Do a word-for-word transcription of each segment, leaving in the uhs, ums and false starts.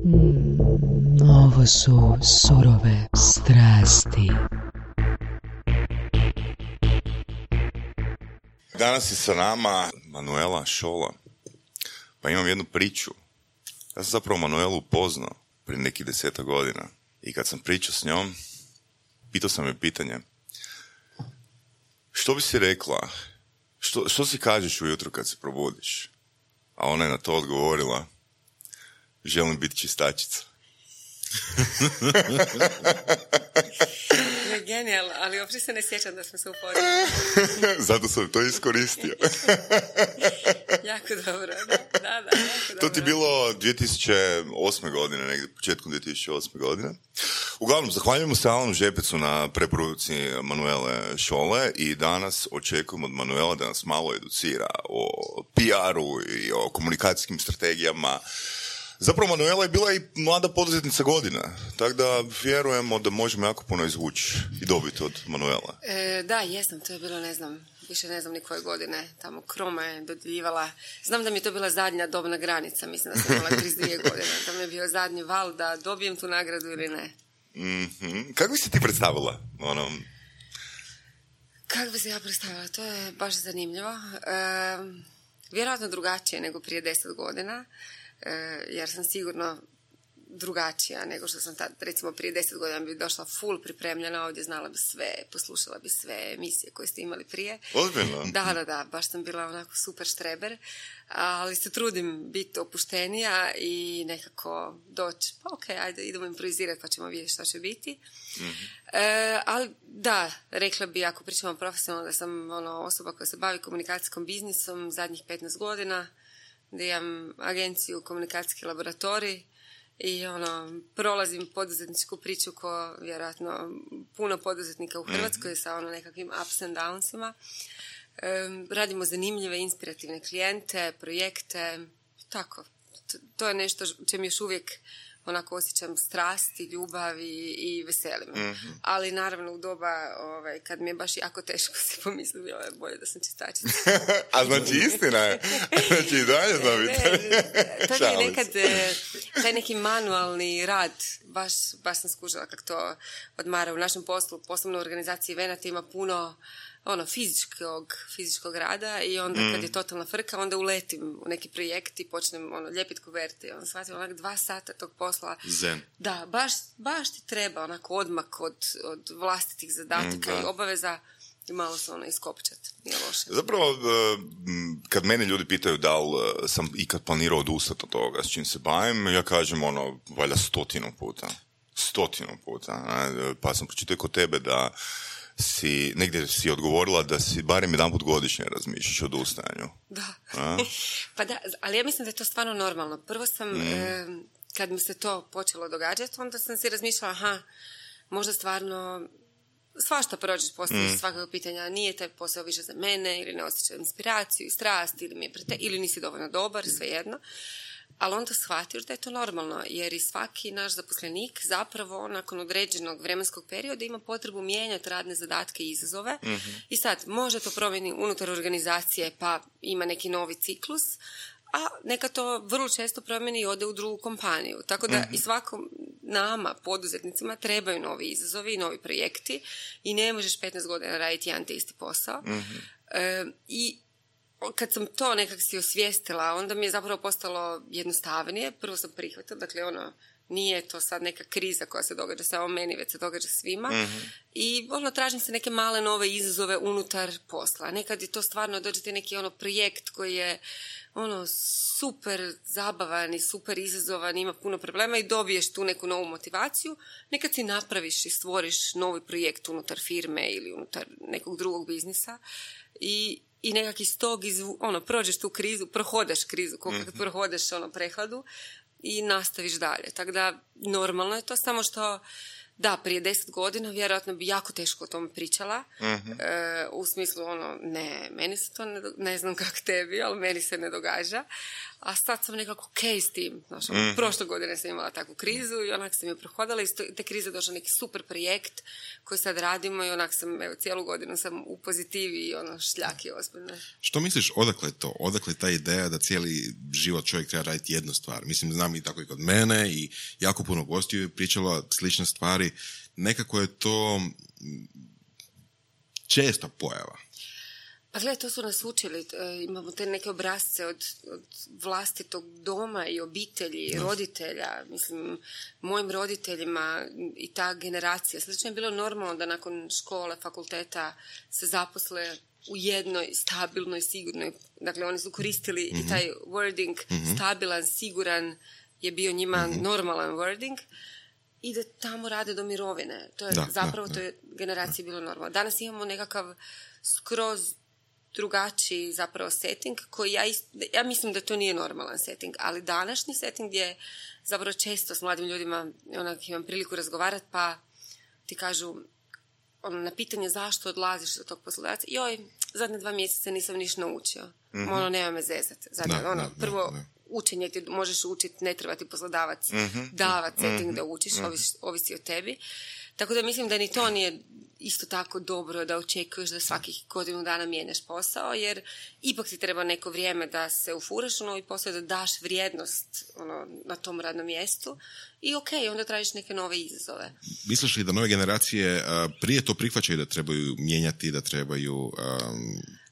Mm, ovo su surove strasti. Danas je sa nama Manuela Šola. Pa imam jednu priču. Ja sam zapravo Manuelu upoznao prije nekih deseta godina. I kad sam pričao s njom, pitao sam je pitanje. Što bi si rekla? Što, što si kažeš ujutro kad se probudiš? A ona je na to odgovorila. Želim biti čistačica. Je genijalno, ali uopće se ne sjećam da smo se upoznali. Zato sam to iskoristio. Jako dobro, da, da, da, jako dobro. To ti je bilo dvije tisuće osme godine, negdje početkom dvije tisuće osme godine. Uglavnom, zahvaljujemo se Alanu Žepecu na preporuci Manuele Šole i danas očekujemo od Manuela da nas malo educira o P R-u i o komunikacijskim strategijama. Zapravo, Manuela je bila i mlada poduzetnica godina, tako da vjerujemo da možemo jako puno izvući i dobiti od Manuela. E, da, jesam, to je bilo, ne znam, više ne znam ni koje godine, tamo Kroma je dodjeljivala. Znam da mi je to bila zadnja dobna granica, mislim da sam imala trideset dvije godine, da mi je bio zadnji val da dobijem tu nagradu ili ne. Mm-hmm. Kako bi se ti predstavila? Ono... Kako bi se ja predstavila? To je baš zanimljivo. E, vjerojatno drugačije nego prije deset godina. Jer sam sigurno drugačija nego što sam tad, recimo prije deset godina bi došla full pripremljena, ovdje znala bi sve, poslušala bi sve emisije koje ste imali prije. Ozbiljno? Da, da, da, baš sam bila onako super štreber, ali se trudim biti opuštenija i nekako doći, pa ok, ajde, idemo improvizirati pa ćemo vidjeti što će biti. Mm-hmm. E, ali da, rekla bi, ako pričamo profesionalno, da sam ono, osoba koja se bavi komunikacijskom biznisom zadnjih petnaest godina, da imam agenciju Komunikacijski laboratorij i ono, prolazim poduzetničku priču ko vjerojatno puno poduzetnika u Hrvatskoj mm-hmm. sa ono nekakvim ups and downsima. E, radimo zanimljive, inspirativne klijente, projekte, tako. To, to je nešto čem još uvijek onako osjećam strast i ljubav i, i veselim. Mm-hmm. Ali naravno u doba ovaj, kad mi je baš jako teško si pomislio, je bolje da sam čistačica. A znači istina je. Znači i dalje znam biti. To je nekad taj neki manualni rad, baš, baš sam skužila kako to odmara u našem poslu. Poslovno u organizaciji Venata ima puno ono, fizičkog, fizičkog rada i onda mm. kad je totalna frka, onda uletim u neki projekt i počnem ono, lijepiti kuverte i onda shvatim onak dva sata tog posla. Zen. Da, baš, baš ti treba onako odmak od, od vlastitih zadataka mm, i obaveza i malo se ono iskopčati. Nije loše. Zapravo, kad mene ljudi pitaju da li sam ikad planirao odustati od toga s čim se bavim, ja kažem ono, valjda stotinu puta. Stotinu puta. Ne? Pa sam pročitao kod tebe da si, negdje si odgovorila da si barem jedanput godišnje razmišljaš o odustajanju. Da. Pa da, ali ja mislim da je to stvarno normalno. Prvo sam, mm. e, kad mi se to počelo događati, onda sam si razmišljala, aha, možda stvarno svašta prođeš poslije mm. svakog pitanja, nije taj posao više za mene, ili ne osjećam inspiraciju i strast, ili, mi je prete, ili nisi dovoljno dobar, svejedno. Ali onda shvatiš da je to normalno, jer i svaki naš zaposlenik zapravo nakon određenog vremenskog perioda ima potrebu mijenjati radne zadatke i izazove. Mm-hmm. I sad, može to promijeni unutar organizacije pa ima neki novi ciklus, a neka to vrlo često promijeni i ode u drugu kompaniju. Tako da mm-hmm. i svakom nama, poduzetnicima, trebaju novi izazovi i novi projekti i ne možeš petnaest godina raditi jedan te isti posao. Mm-hmm. E, I kad sam to nekak si osvijestila, onda mi je zapravo postalo jednostavnije. Prvo sam prihvatila, dakle ono, nije to sad neka kriza koja se događa samo meni, već se događa svima. Mm-hmm. I ono, tražim se neke male nove izazove unutar posla. Nekad je to stvarno, dođete neki ono projekt koji je ono super zabavan i super izazovan, ima puno problema i dobiješ tu neku novu motivaciju. Nekad si napraviš i stvoriš novi projekt unutar firme ili unutar nekog drugog biznisa i i nekak iz tog, izvu, ono, prođeš tu krizu, prohodeš krizu, koliko mm-hmm. prohodeš ono, prehladu i nastaviš dalje. Tako da, normalno je to, samo što, da, prije deset godina vjerojatno bi jako teško o tome pričala, mm-hmm. e, u smislu, ono, ne, meni se to ne, ne znam kako tebi, ali meni se ne događa. a sad sam nekako okej s tim. Znaš, mm. prošle godine sam imala takvu krizu i onak sam je prohodala i te krize došao neki super projekt koji sad radimo i onak sam, evo, cijelu godinu sam u pozitivi i ono šljaki ozbiljno. Što misliš, odakle to? Odakle ta ideja da cijeli život čovjek treba raditi jednu stvar? Mislim, znam i tako i kod mene i jako puno gostiju je pričalo slične stvari. Nekako je to česta pojava. Pa gledaj, to su nas učili. Imamo te neke obrazce od, od vlastitog doma i obitelji, no. roditelja. Mislim, mojim roditeljima i ta generacija. Slično je bilo normalno da nakon škole, fakulteta se zaposle u jednoj stabilnoj, sigurnoj. Dakle, oni su koristili mm-hmm. i taj wording mm-hmm. stabilan, siguran je bio njima mm-hmm. normalan wording. I da tamo rade do mirovine. To je da, zapravo da, to je generaciji bilo normalno. Danas imamo nekakav skroz drugačiji zapravo setting koji ja, ist, ja mislim da to nije normalan setting, ali današnji setting gdje zapravo često s mladim ljudima onak imam priliku razgovarati pa ti kažu ono, na pitanje zašto odlaziš od tog poslodavca, joj, zadnje dva mjeseca nisam ništa naučio. Mm-hmm. Ono, nema me zezat. Zadnje, da, ono, da, prvo da, da. Učenje ti možeš učiti, ne treba ti poslodavac mm-hmm. davat setting mm-hmm. da učiš, mm-hmm. ovisi, ovisi o tebi. Tako da mislim da ni to nije isto tako dobro da očekuješ da svakih godinu dana mijenjaš posao, jer ipak ti treba neko vrijeme da se ufuraš u novi posao, da daš vrijednost ono, na tom radnom mjestu i ok, onda tražiš neke nove izazove. Misliš li da nove generacije uh, prije to prihvaćaju da trebaju mijenjati, da trebaju um,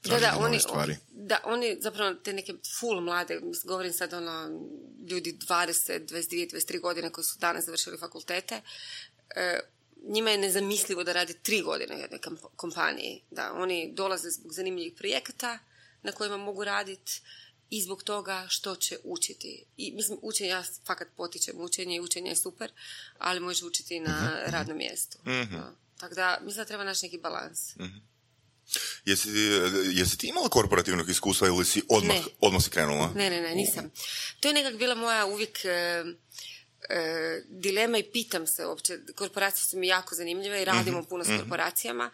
tražiti da, da, nove oni, stvari? Da, oni zapravo te neke full mlade, govorim sad ono, ljudi dvadeset, dvadeset dvije, dvadeset tri godine koji su danas završili fakultete, uh, njima je nezamislivo da rade tri godine u jednoj kompaniji. Da, oni dolaze zbog zanimljivih projekata na kojima mogu raditi i zbog toga što će učiti. I mislim, učenje, ja fakat potičem učenje i učenje je super, ali možeš učiti na uh-huh. radnom mjestu. Uh-huh. No. Tako da, mislim da treba naći neki balans. Uh-huh. Jesi, jesi ti imala korporativnog iskustva ili si odmah, odmah si krenula? Ne, ne, ne, nisam. To je nekak bila moja uvijek... E, E, dilema i pitam se uopće, korporacije su mi jako zanimljive i radimo mm-hmm. puno s korporacijama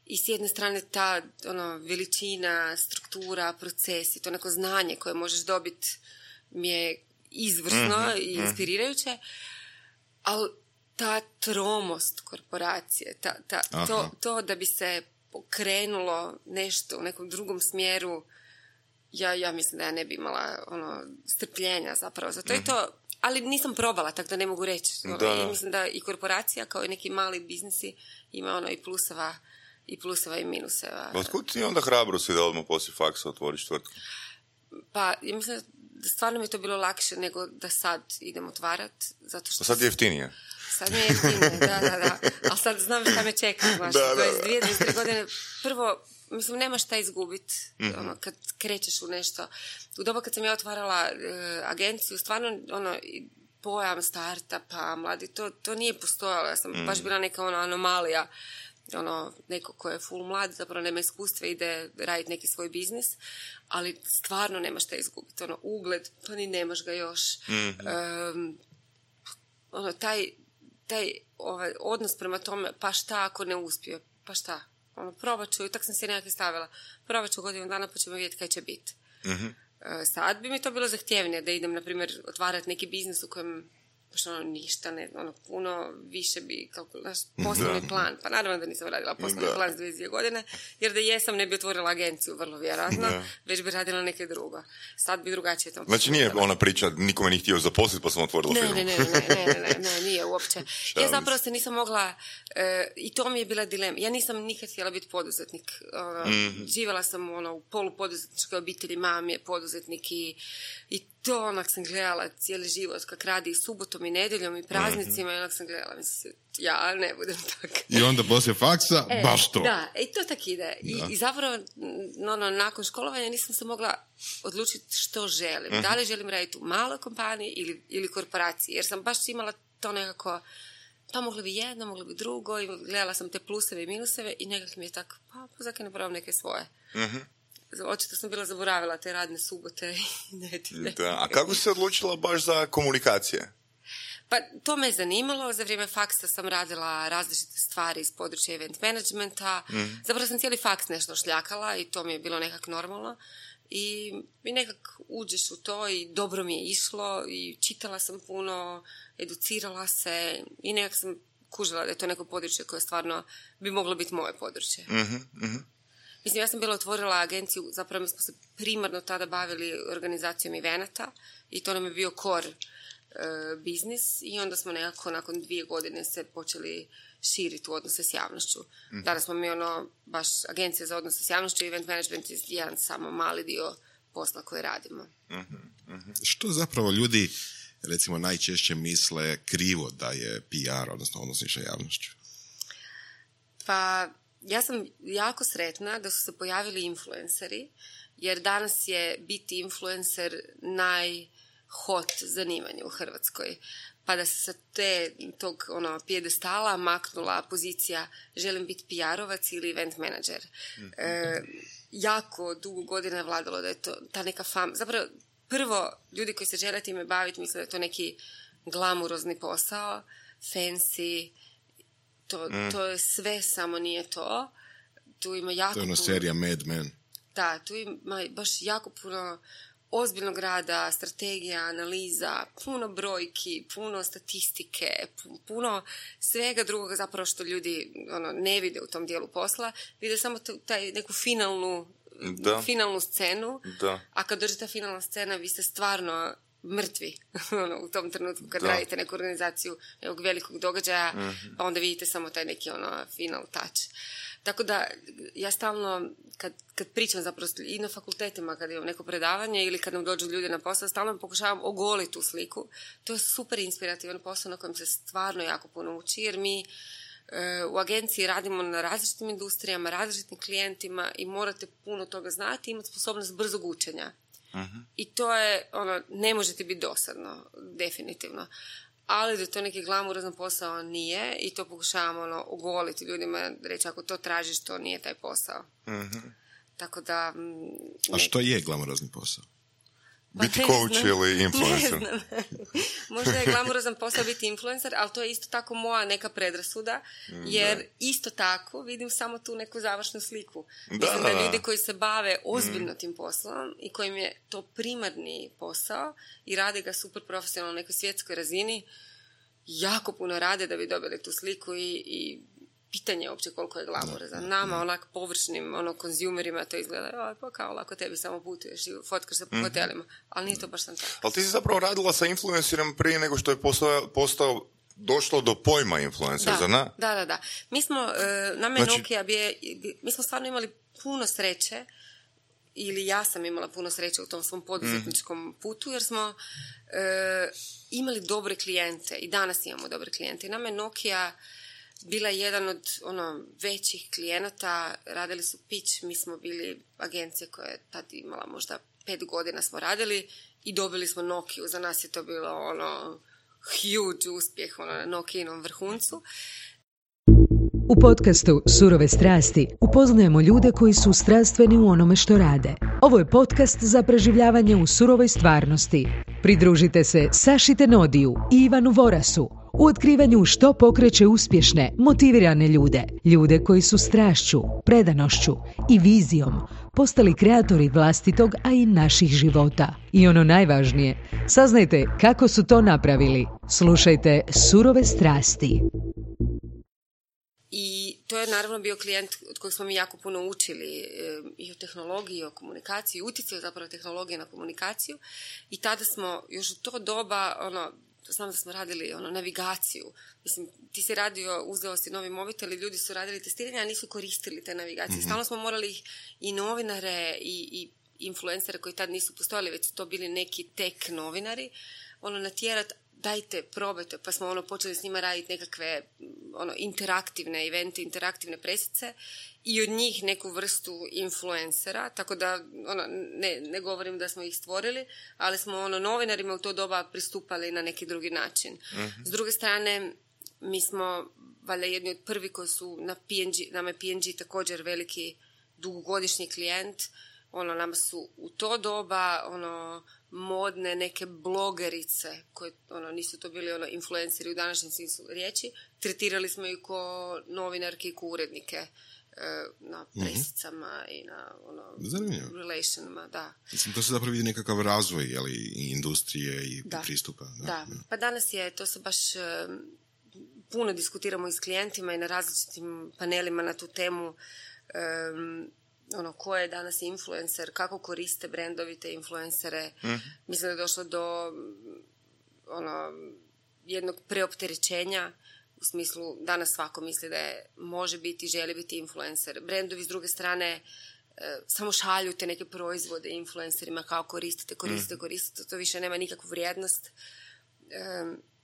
i s jedne strane ta ono, veličina, struktura, procesi, to neko znanje koje možeš dobiti mi je izvrsno mm-hmm. i inspirirajuće, ali ta tromost korporacije, ta, ta, to, to da bi se pokrenulo nešto u nekom drugom smjeru, ja, ja mislim da ja ne bi imala ono, strpljenja zapravo za to mm-hmm. i to. Ali nisam probala, tako da ne mogu reći. I mislim da i korporacija, kao i neki mali biznisi, ima ono i pluseva i pluseva i minuseva. Otkud ti onda hrabro si da odmah poslije faksa otvoriš tvrtku? Pa, ja mislim da stvarno mi je to bilo lakše nego da sad idem otvarat. Zato što... A sad je jeftinije. Sad mi je jeftinije, da, da, da. Ali sad znam šta me čeka, znaš. dvadeset dvije, dvadeset tri godine. Prvo, mislim, nemaš šta izgubiti mm-hmm. ono, kad krećeš u nešto. U doba kad sam ja otvarala e, agenciju, stvarno ono, pojam startupa, mladi, to, to nije postojalo. Ja sam mm-hmm. baš bila neka ona anomalija, ono, neko ko je full mlad, zapravo nema iskustva, ide raditi neki svoj biznis, ali stvarno nemaš šta izgubiti. Ono, ugled, pa ni nemaš ga još. Mm-hmm. E, ono, taj, taj ovaj, odnos prema tome, pa šta ako ne uspije, pa šta? Ono, probat ću, i tak sam se nekako stavila, probat ću godinu dana pa ćemo vidjeti kaj će biti. Mm-hmm. E, sad bi mi to bilo zahtjevnije da idem, na primjer, otvarati neki biznis u kojem baš ono ništa, ne, ono puno više bi, kako, naš poslovni da. plan, pa naravno da nisam radila poslovni da. plan s dvije godine, jer da jesam ne bi otvorila agenciju, vrlo vjerojatno, da. već bi radila neke drugo. Sad bi drugačije to. Znači nije ona priča, nikome nije htio zaposliti pa sam otvorila ne, firmu. Ne, ne, ne, ne, ne, ne, ne, nije uopće. Ja zapravo se nisam mogla, e, i to mi je bila dilema. Ja nisam nikad htjela biti poduzetnik. Ono, mm-hmm. Živjela sam ono, u polupoduzetničkoj obitelji, mam je poduzetnik i, i to onak sam gledala cijeli život kak radi i subotom i nedjeljom i praznicima mm-hmm. i onak sam gledala, mislim, ja ne budem tako. I onda poslije faksa, e, baš to. Da, i to tak ide. I, i zapravo, no, no, nakon školovanja nisam se mogla odlučiti što želim. Mm-hmm. Da li želim raditi u maloj kompaniji ili, ili korporaciji, jer sam baš imala to nekako, pa moglo bi jedno, moglo bi drugo i gledala sam te pluseve i minuseve i nekako mi je tako, pa, pa zakaj ne probam neke svoje. Mm-hmm. Očito sam bila zaboravila te radne subote i nedjelje. Da, a kako si se odlučila baš za komunikacije? Pa to me je zanimalo. Za vrijeme faksa sam radila različite stvari iz područja event managementa. Mm. Zapravo sam cijeli faks nešto šljakala i to mi je bilo nekak normalno. i, i nekak uđeš u to i dobro mi je išlo i čitala sam puno, educirala se i nekak sam kužila da je to neko područje koje stvarno bi moglo biti moje područje. Mm-hmm, mm-hmm. Mislim, ja sam bila otvorila agenciju, zapravo mi smo se primarno tada bavili organizacijom evenata i to nam je bio core e, biznis i onda smo nekako nakon dvije godine se počeli širiti u odnose s javnošću. Mm-hmm. Danas smo mi ono, baš agencija za odnose s javnošću i event management je jedan samo mali dio posla koji radimo. Mm-hmm, mm-hmm. Što zapravo ljudi, recimo, najčešće misle krivo da je P R, odnosno odnosi sa javnošću? Pa, ja sam jako sretna da su se pojavili influenceri, jer danas je biti influencer najhot zanimanje u Hrvatskoj. Pa da se sa te, tog ono, pijedestala maknula pozicija želim biti P R-ovac ili event manager. E, jako dugo godina je vladalo da je to ta neka fama. Zapravo, prvo, ljudi koji se žele time baviti misle da je to neki glamurozni posao, fancy, to, mm. to je sve, samo nije to. Tu ima jako to je ono puno... serija Mad Men. Da, tu ima baš jako puno ozbiljnog rada, strategija, analiza, puno brojki, puno statistike, puno svega drugoga zapravo što ljudi ono, ne vide u tom dijelu posla. Vide samo t- taj neku finalnu, da. finalnu scenu, da. A kad dođe ta finalna scena, vi ste stvarno mrtvi ono, u tom trenutku kad da. radite neku organizaciju nekog velikog događaja, mm-hmm. pa onda vidite samo taj neki ono, final touch. Tako da, ja stalno, kad, kad pričam zapravo i na fakultetima, kad imam neko predavanje ili kad nam dođu ljudi na posao, stalno pokušavam ogoliti tu sliku. To je super inspirativan posao na kojem se stvarno jako puno uči, jer mi e, u agenciji radimo na različitim industrijama, različitim klijentima i morate puno toga znati i imati sposobnost brzog učenja. Uh-huh. I to je, ono, ne možete biti dosadno, definitivno. Ali da to neki glamurozan posao nije i to pokušavamo ono, ogoliti ljudima, reći ako to tražiš, to nije taj posao. Mm-hmm. Tako da... Ne... A što je glamurozni posao? Pa biti coach ili influencer? Ne znam. Možda je glamurozan posao biti influencer, ali to je isto tako moja neka predrasuda, jer da. Isto tako vidim samo tu neku završnu sliku. Da, Mislim da, da ljudi koji se bave ozbiljno mm. tim poslom i kojim je to primarni posao i rade ga super profesionalno na nekoj svjetskoj razini, jako puno rade da bi dobili tu sliku i, i pitanje je uopće koliko je glamurozan. Nama, onak površnim ono, konzumerima to izgleda, pa kao lako tebi samo putuješ i fotkaš se po mm-hmm. hotelima, ali nije to baš sam tako. Ali ti si zapravo radila sa influencerom prije nego što je postao, postao došlo do pojma influencer, zar ne? Da, da, da. Mi smo, uh, nama je znači... Nokia, bije, mi smo stvarno imali puno sreće, ili ja sam imala puno sreće u tom svom poduzetničkom mm. putu, jer smo uh, imali dobre klijente i danas imamo dobre klijente. I nama je Nokia bila jedan od ono, većih klijenata, radili su pitch, mi smo bili agencija koja je tad imala možda pet godina smo radili i dobili smo Nokiju, za nas je to bilo ono huge uspjeh ono, na Nokijinom vrhuncu. U podcastu Surove strasti upoznajemo ljude koji su strastveni u onome što rade. Ovo je podcast za preživljavanje u surovoj stvarnosti. Pridružite se Saši Tenodiju i Ivanu Vorasu u otkrivanju što pokreće uspješne, motivirane ljude. Ljude koji su strašću, predanošću i vizijom postali kreatori vlastitog, a i naših života. I ono najvažnije, saznajte kako su to napravili. Slušajte Surove strasti. I to je naravno bio klijent od kojeg smo mi jako puno učili e, i o tehnologiji, i o komunikaciji, i utjecaju zapravo tehnologije na komunikaciju. I tada smo još u to doba, ono, znam da smo radili ono, navigaciju. Mislim, ti si radio, uzeo si novi mobitel i ljudi su radili testiranje, a nisu koristili te navigacije. Mm-hmm. Stalno smo morali ih i novinare i, i influencere koji tad nisu postojali, već su to bili neki tek novinari, ono, natjerati, dajte, probajte, pa smo ono počeli s njima raditi nekakve ono, interaktivne evente, interaktivne presice i od njih neku vrstu influencera, tako da ono, ne, ne govorim da smo ih stvorili, ali smo ono, novinarima u to doba pristupali na neki drugi način. Mm-hmm. S druge strane, mi smo valjda jedni od prvi koji su na P and G, nama je P and G također veliki dugogodišnji klijent, ono, nama su u to doba ono, modne neke blogerice koje ono, nisu to bili ono, influenceri u današnjem smislu riječi, tretirali smo ih ko novinarke i ko urednike. na presicama i na ono, relationima, da. Mislim, to se zapravo vidi nekakav razvoj, jeli, i industrije i da. pristupa. Da. da, pa danas je, to se baš puno diskutiramo i s klijentima i na različitim panelima na tu temu, um, ono, ko je danas influencer, kako koriste brendovi te influencere. Mm. Mislim da je došlo do ono, jednog preopterećenja. U smislu, danas svako misli da je, može biti, želi biti influencer. Brendovi s druge strane e, samo šalju te neke proizvode influencerima kao koristite, koristite, koristite. To više nema nikakvu vrijednost. E,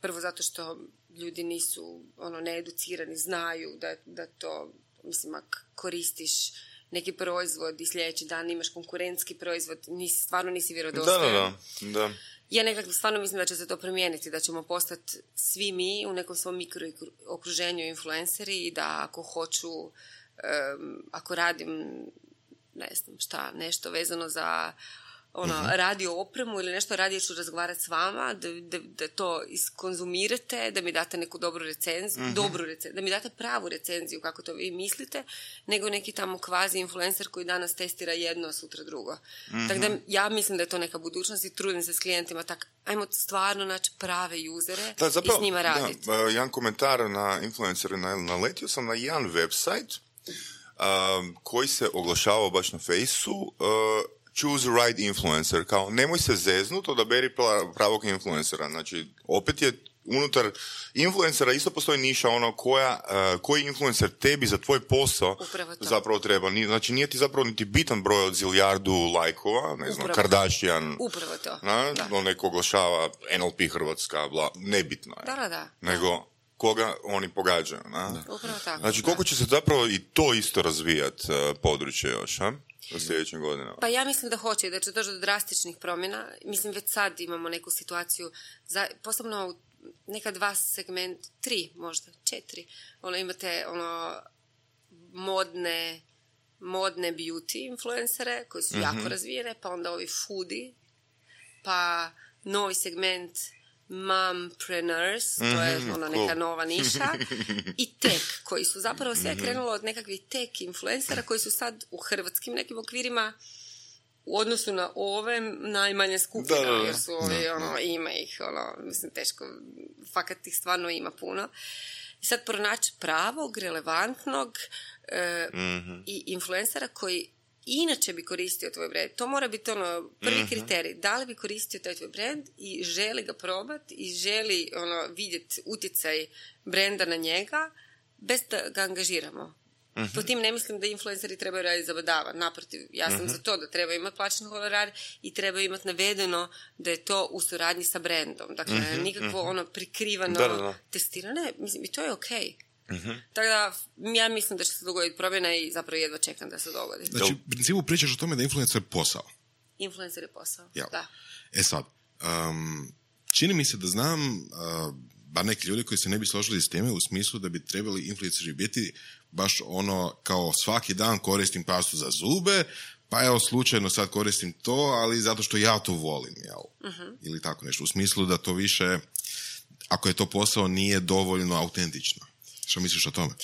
prvo zato što ljudi nisu ono, needucirani, znaju da, da to, mislim, ako koristiš neki proizvod i sljedeći dan imaš konkurentski proizvod, nisi, stvarno nisi vjerodostojan. Da, da, da. Ja nekako stvarno mislim da će se to promijeniti, da ćemo postati svi mi u nekom svom mikrookruženju influenceri i da ako hoću, um, ako radim, ne znam šta, nešto vezano za ono, uh-huh. radio opremu ili nešto, radije ću razgovarati s vama, da, da, da to iskonzumirate, da mi date neku dobru recenziju, uh-huh. dobru recenziju, da mi date pravu recenziju kako to vi mislite, nego neki tamo kvazi influencer koji danas testira jedno, a sutra drugo. Uh-huh. Tako da ja mislim da je to neka budućnost i trudim se s klijentima tak, ajmo stvarno naći prave usere da, zapravo, i s njima raditi. Da, jedan komentar na influencere, naletio sam na jedan website um, koji se oglašavao baš na Fejsu, uh, choose the right influencer, kao nemoj se zeznut, odaberi pravog influencera. Znači, opet je unutar influencera isto postoji niša ono koja, uh, koji influencer tebi za tvoj posao zapravo treba. Znači, nije ti zapravo niti bitan broj od zilijardu lajkova, ne znam, Upravo Kardashian, Upravo to. Na, on neko oglašava N L P Hrvatska, bla, nebitno je. Da, da, da. Nego koga oni pogađaju. Na? Upravo tako. Znači, koliko će se zapravo i to isto razvijati uh, područje još, a? U sljedećim godinama. Pa ja mislim da hoće i da će doći do drastičnih promjena. Mislim, već sad imamo neku situaciju, za, posebno u neka dva segment, tri možda, četiri. Ono, imate ono, modne, modne beauty influencere koji su mm-hmm. jako razvijene, pa onda ovi foodie, pa novi segment mompreneurs, mm-hmm, to je ono neka cool. nova niša, i tech, koji su zapravo sve mm-hmm. krenulo od nekakvih tech influencera koji su sad u hrvatskim nekim okvirima u odnosu na ove najmanje skupina, da, da, da. jer su ovi, da, ono, ima ih, ono, mislim, teško, fakat ih stvarno ima puno. I sad pronaći pravog, relevantnog e, mm-hmm. i influencera koji inače bi koristio tvoj brand. To mora biti ono prvi mm-hmm. kriterij. Da li bi koristio taj tvoj brand i želi ga probati i želi ono, vidjeti utjecaj brenda na njega bez da ga angažiramo. Mm-hmm. Po tim ne mislim da influenceri trebaju raditi za badava. Naprotiv, ja sam mm-hmm. za to da treba imati plaćen honorar i treba imati navedeno da je to u suradnji sa brandom. Dakle, mm-hmm. nikakvo ono prikrivano da, da, da. testirane. Mislim, i to je okej. Okay. Mm-hmm. Tako da, ja mislim da će se dogoditi promjena i zapravo jedva čekam da se dogodi. Znači, u principu pričaš o tome da influencer je posao. Influencer je posao, Jel. da. E sad, um, čini mi se da znam, uh, bar neki ljudi koji se ne bi složili s teme u smislu da bi trebali influenceri biti baš ono kao svaki dan koristim pastu za zube, pa evo slučajno sad koristim to, ali zato što ja to volim, jel? Mm-hmm. Ili tako nešto. U smislu da to više, ako je to posao, nije dovoljno autentično. Što misliš o tome?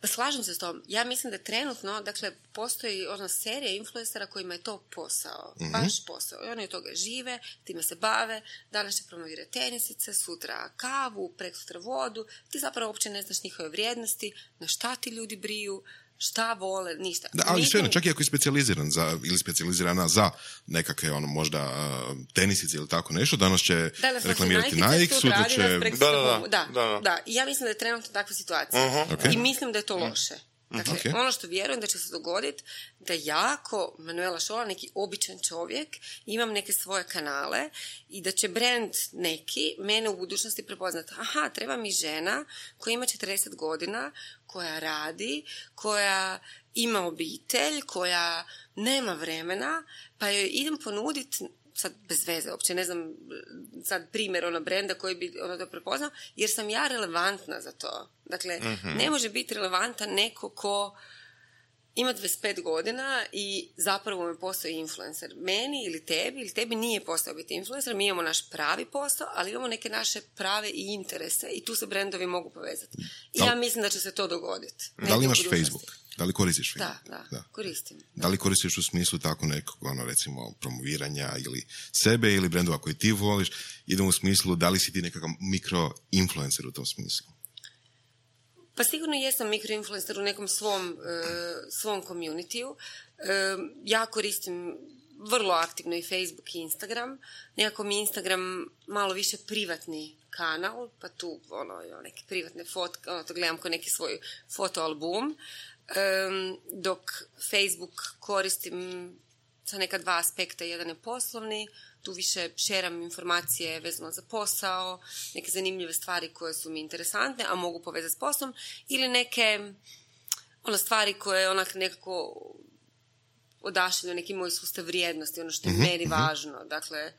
Slažem se s tom. Ja mislim da trenutno, dakle, postoji ona serija influencera kojima je to posao. Mm-hmm. Baš posao. I oni od toga žive, time se bave, danas će promovirati tenisice, sutra kavu, preksutra vodu. Ti zapravo uopće ne znaš njihove vrijednosti, na šta ti ljudi briju, šta vole, ništa. Da, ali Nikom... svejedno, čak i ako je specijaliziran za, ili specijalizirana za nekakve, ono, možda uh, tenisice ili tako nešto, danas će danas reklamirati Nike, sutra će... Da, da, da, da, da. I ja mislim da je trenutno takva situacija. Uh-huh. Okay. I mislim da je to loše. Dakle, okay. ono što vjerujem da će se dogoditi, da ja ko Manuela Šola, neki običan čovjek, imam neke svoje kanale i da će brand neki mene u budućnosti prepoznati. Aha, treba mi žena koja ima četrdeset godina, koja radi, koja ima obitelj, koja nema vremena, pa joj idem ponuditi, sad bez veze, uopće ne znam sad primjer ono brenda koji bi ono to prepoznao, jer sam ja relevantna za to. Dakle, mm-hmm. ne može biti relevantan neko ko ima dvadeset pet godina i zapravo me postoji influencer. Meni ili tebi, ili tebi nije postao biti influencer, mi imamo naš pravi posao, ali imamo neke naše prave i interese i tu se brendovi mogu povezati. I da, ja mislim da će se to dogoditi. Da li imaš Facebook? Da li koristiš Da, Facebook? da, da. koristim. Da. da li koristiš u smislu tako nekog, ono, recimo, promoviranja ili sebe ili brendova koji ti voliš? Idemo u smislu, da li si ti nekakav mikro-influencer u tom smislu? Pa sigurno jesam mikroinfluencer u nekom svom, uh, svom community-u. Uh, ja koristim vrlo aktivno i Facebook i Instagram. Nekako mi Instagram malo više privatni kanal, pa tu ono, neke privatne fotke, ono, to gledam kao neki svoj fotoalbum. Um, dok Facebook koristim sa neka dva aspekta, jedan je poslovni, tu više šeram informacije vezano za posao, neke zanimljive stvari koje su mi interesantne, a mogu povezati s poslom, ili neke ono, stvari koje onak nekako odašilju neki moj sustav vrijednosti, ono što je mm-hmm. meni važno. Dakle,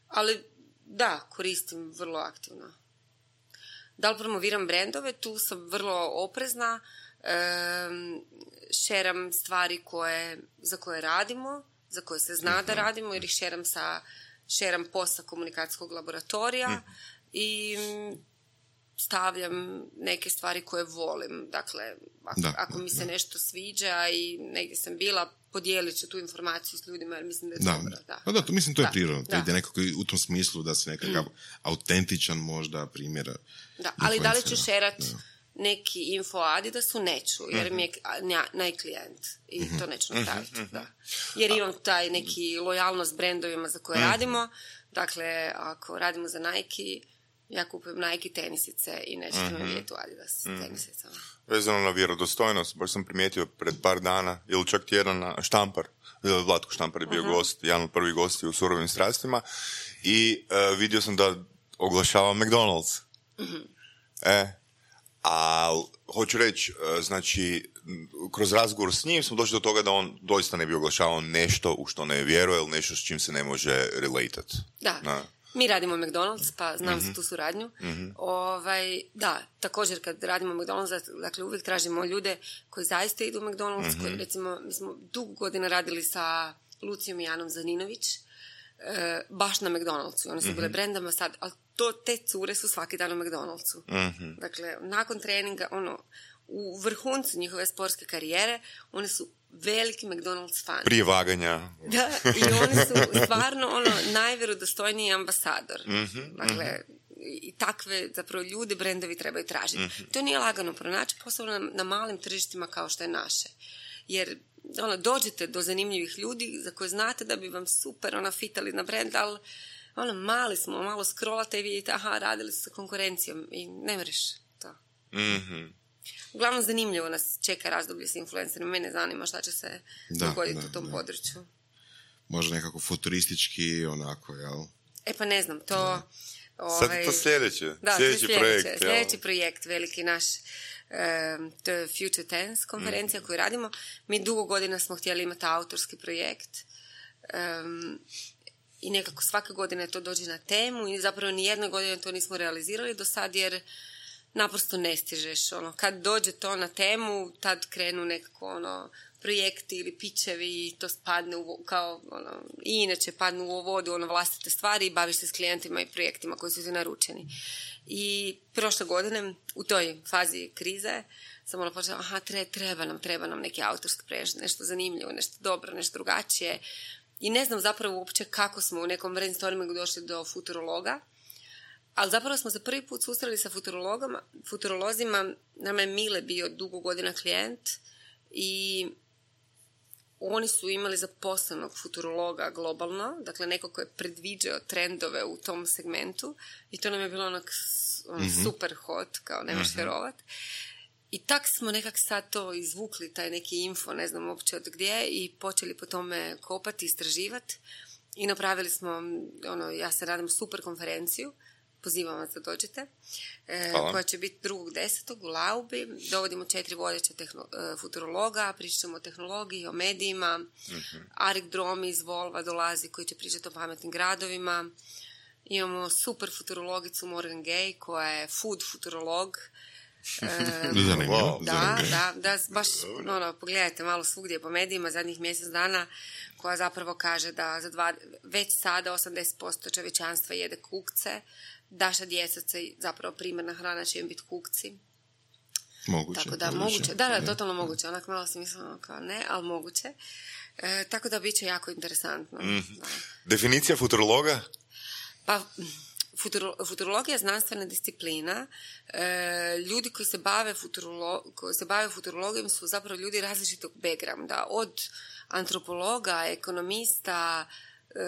ali da, koristim vrlo aktivno. Da li promoviram brendove? Tu sam vrlo oprezna, um, šeram stvari koje, za koje radimo, za koje se zna da radimo, jer ih šeram sa šeram posta komunikacijskog laboratorija mm. i stavljam neke stvari koje volim. Dakle, ako, da, ako da, mi se da. nešto sviđa i negdje sam bila, podijelit ću tu informaciju s ljudima, jer mislim da je da, dobro. Da, da, da, to mislim to je da, prirodno. Da. To je nekako u tom smislu da se nekakav mm. autentičan možda primjer. Da, ali da li ću šerat neki info o Adidasu, neću, jer mi je najklijent i mm-hmm. to neću napraviti. Mm-hmm. Da. Jer imam taj neki lojalnost brendovima za koje mm-hmm. radimo. Dakle, ako radimo za Nike, ja kupujem Nike tenisice i nećete mm-hmm. me vidjeti u Adidas mm-hmm. tenisicama. Vezano na vjerodostojnost, baš sam primijetio pred par dana, ili čak tjedan na Štampar, Vlatko Štampar je bio uh-huh. gost, jedan od prvih gosti u Surovim strastima, i uh, vidio sam da oglašava McDonald's. Uh-huh. E, a hoću reći, znači, kroz razgovor s njim smo došli do toga da on doista ne bi oglašavao nešto u što ne vjeruje ili nešto s čim se ne može relatat. Da, Na. mi radimo McDonald's, pa znam mm-hmm. za tu suradnju. Mm-hmm. Ovaj, da, također kad radimo McDonald's, dakle uvijek tražimo ljude koji zaista idu u McDonald's, mm-hmm. koji recimo, mi smo dugo godina radili sa Lucijom i Janom Zaninović, e, baš na McDonald'su. One su mm-hmm. bile brendama sad, ali to, te cure su svaki dan u McDonald'su. Mm-hmm. Dakle, nakon treninga, ono, u vrhuncu njihove sportske karijere, one su veliki McDonald's fan. Prije vaganja. Da, i oni su stvarno ono, najvjerodostojniji ambasador. Mm-hmm. Dakle, mm-hmm. i takve zapravo ljude brendovi trebaju tražiti. Mm-hmm. To nije lagano pronaći, posebno na, na malim tržištima kao što je naše. Jer ono, dođete do zanimljivih ljudi za koje znate da bi vam super ona fitali na brend, ali ono, mali smo, malo scrollate i vidite, aha, radili su sa konkurencijom i ne mreš to. Mhm. Uglavnom, zanimljivo nas čeka razdoblje s influencerima. Mene zanima šta će se da, dogoditi da, u tom da. području. Možda nekako futuristički, onako, jel? E pa ne znam, to... Da. Ovaj, sad je to sljedeće. Da, sljedeći, sljedeće projekt. Sljedeći projekt, veliki naš, um, to je Future Tense konferencija mm. koju radimo. Mi dugo godina smo htjeli imati autorski projekt. Um, I nekako svake godine to dođe na temu i zapravo nijedne godine to nismo realizirali do sad, jer naprosto ne stižeš. Ono, kad dođe to na temu, tad krenu nekako ono, projekti ili pičevi i to spadne u, kao, ono, i inače padnu u vodu ono, vlastite stvari i baviš se s klijentima i projektima koji su ti naručeni. I prošle godine, u toj fazi krize, sam ono počela, aha, treba nam, treba nam neki autorski projekt, nešto zanimljivo, nešto dobro, nešto drugačije. I ne znam zapravo uopće kako smo u nekom brainstormingu došli do futurologa, ali zapravo smo se prvi put susreli sa futurolozima. Nama je Mile bio dugo godina klijent i oni su imali zaposlenog futurologa globalno, dakle neko ko je predviđao trendove u tom segmentu i to nam je bilo onak on, mm-hmm. super hot, kao nemaš mm-hmm. vjerovat. I tak smo nekak sad to izvukli, taj neki info, ne znam uopće od gdje, i počeli po tome kopati, istraživati i napravili smo, ono, ja se radim super konferenciju, pozivam vas da dođete, e, koja će biti drugog desetog u Laubi. Dovodimo četiri vodeća tehno, e, futurologa, pričamo o tehnologiji, o medijima. Mm-hmm. Arik Dromi iz Volva dolazi koji će pričati o pametnim gradovima. Imamo super futurologicu Morgan Gay koja je food futurolog. Zanimljivo. Wow. Da, da, da, baš, ono, pogledajte malo svugdje po medijima zadnjih mjesec dana, koja zapravo kaže da za dva, već sada osamdeset posto čovječanstva jede kukce, daša djeca se zapravo primarna hrana će im biti kukci. Moguće. Tako da, moguće. moguće. Da, da, totalno moguće. Onak malo sam mislila kao ne, ali moguće. E, tako da bit će jako interesantno. Mm-hmm. Da. Definicija futurologa? Pa, futuro, futurologija je znanstvena disciplina. E, ljudi koji se bave futurolo, koji se bave futurologijom su zapravo ljudi različitog backgrounda. Od antropologa, ekonomista, e,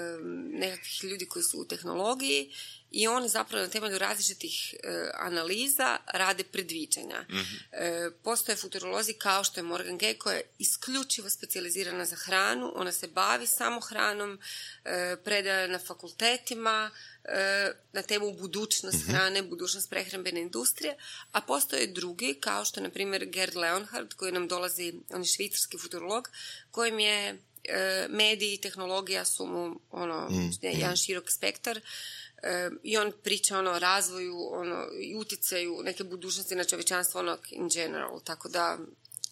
nekakvih ljudi koji su u tehnologiji i oni zapravo na temelju različitih e, analiza rade predviđanja. Mm-hmm. E, postoje futurolozi kao što je Morgan Gay koja je isključivo specijalizirana za hranu, ona se bavi samo hranom, e, predaje na fakultetima, e, na temu budućnost mm-hmm. hrane, budućnost prehrambene industrije, a postoje drugi kao što je na primjer Gerd Leonhard koji nam dolazi, on je švicarski futurolog, kojim je e, mediji i tehnologija su mu ono, mm-hmm. jedan širok spektar. E, i on priča ono, o razvoju ono, i utjecaju neke budućnosti na čovječanstvo ono, in general, tako da...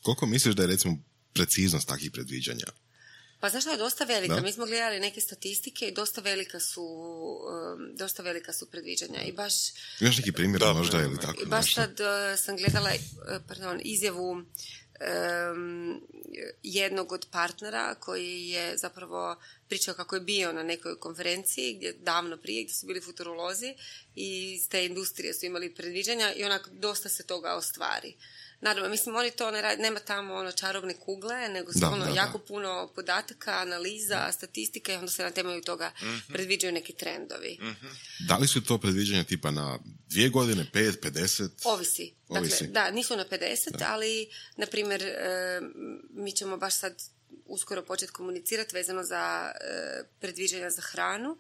Koliko misliš da je recimo preciznost takvih predviđanja? Pa znaš što je dosta velika, da? Mi smo gledali neke statistike i dosta velika su, um, dosta velika su predviđanja i baš... Imaš neki primjer da, možda da, ili da. tako? I baš nešto? sad uh, sam gledala uh, pardon, izjavu um, jednog od partnera koji je zapravo pričao kako je bio na nekoj konferenciji gdje davno prije gdje su bili futurolozi i iz te industrije su imali predviđanja i onak dosta se toga ostvari. Naravno, mislim, oni to ne radi, nema tamo ono čarobne kugle, nego su da, ono da, jako da. puno podataka, analiza, statistike i onda se na temelju toga mm-hmm. predviđaju neki trendovi. Mm-hmm. Da li su to predviđanja tipa na dvije godine, pet, pedeset? Ovisi. Dakle, Ovisi. da, nisu na pedeset, da. ali, na primjer, e, mi ćemo baš sad uskoro početi komunicirati vezano za e, predviđanja za hranu.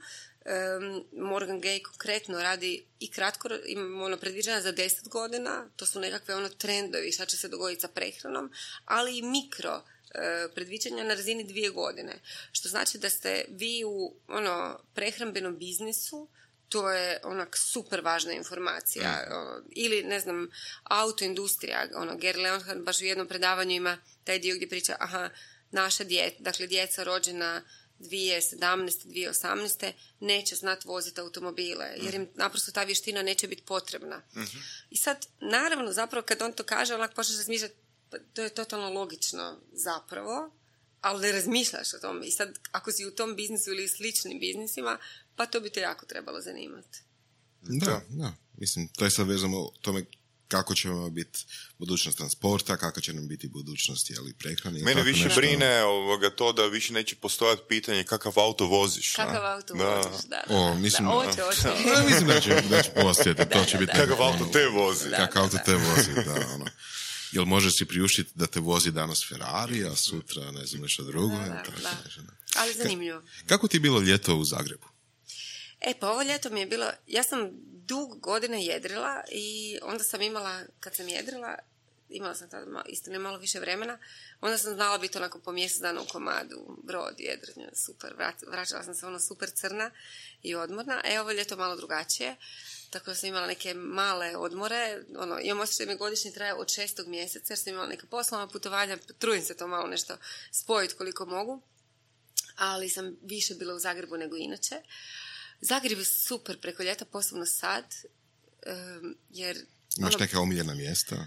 Um, Morgan Gay konkretno radi i kratko, imamo ono predviđanja za deset godina, to su nekakve ono trendovi šta će se dogoditi sa prehranom, ali i mikro uh, predviđanja na razini dvije godine. Što znači da ste vi u ono prehrambenom biznisu, to je onak super važna informacija. Mm. Ono, ili, ne znam, autoindustrija, ono, Gerd Leonhard baš u jednom predavanju ima taj dio gdje priča, aha, naša djeca, dakle djeca rođena dvije tisuće sedamnaeste. dvije tisuće osamnaeste. neće znati voziti automobile, jer im naprosto ta vještina neće biti potrebna. Mm-hmm. I sad, naravno, zapravo kad on to kaže, onak počneš razmišljati, to je totalno logično zapravo, ali ne razmišljaš o tome. I sad, ako si u tom biznisu ili sličnim biznisima, pa to bi te jako trebalo zanimati. Da, da. Mislim, to je sad vezano o tome kako će vam biti budućnost transporta, kako će nam biti budućnost jeli, prehrane. Mene više nešto. brine ovoga, to da više neće postojati pitanje kakav auto voziš. Kakav na? auto da. voziš, da. da. O, mislim, da, oće, oće. da, mislim da će, da će postojati, to će biti... Kakav auto te vozi. Da. Kakav auto te vozi, da, ono. Jel možeš si priuštiti da te vozi danas Ferrari, a sutra ne znam nešto drugo? Da, jel, da, tako da. nešto, da. Ali zanimljivo. Ka- kako ti je bilo ljeto u Zagrebu? E, pa ovo ljeto mi je bilo, ja sam dug godine jedrila i onda sam imala, kad sam jedrila, imala sam tada istina malo više vremena, onda sam znala biti onako po mjesec dana u komadu, brod, jedrenje, super, vraćala sam se ono super crna i odmorna, e, ovo ljeto malo drugačije, tako da sam imala neke male odmore, ono, imam osjećaj da mi godišnji traje od šestog mjeseca, jer sam imala neka poslovna putovanja, trudim se to malo nešto spojiti koliko mogu, ali sam više bila u Zagrebu nego inače. Zagreb je super preko ljeta, posebno sad, um, jer... Imaš ono, neka omiljena mjesta?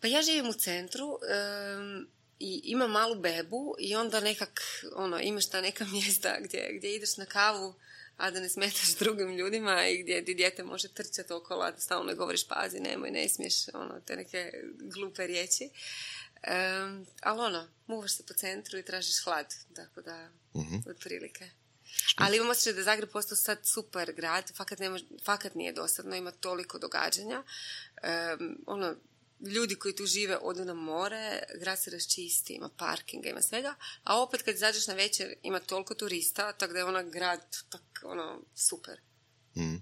Pa ja živim u centru um, i imam malu bebu i onda nekak, ono, imaš ta neka mjesta gdje, gdje ideš na kavu, a da ne smetaš drugim ljudima i gdje ti dijete može trčati okolo, a da stalno ne govoriš pazi, nemoj, ne smiješ, ono, te neke glupe riječi. Um, ali ono, muvaš se po centru i tražiš hlad, tako da, uh-huh. otprilike. Ali imam osjećaj da je Zagreb postao sad super grad, fakat, nema, fakat nije dosadno, ima toliko događanja. Um, ono, ljudi koji tu žive odu na more, grad se raščisti, ima parkinga, ima svega, a opet kad izađeš na večer ima toliko turista, tako da je ona grad tak, ono, super. Mm,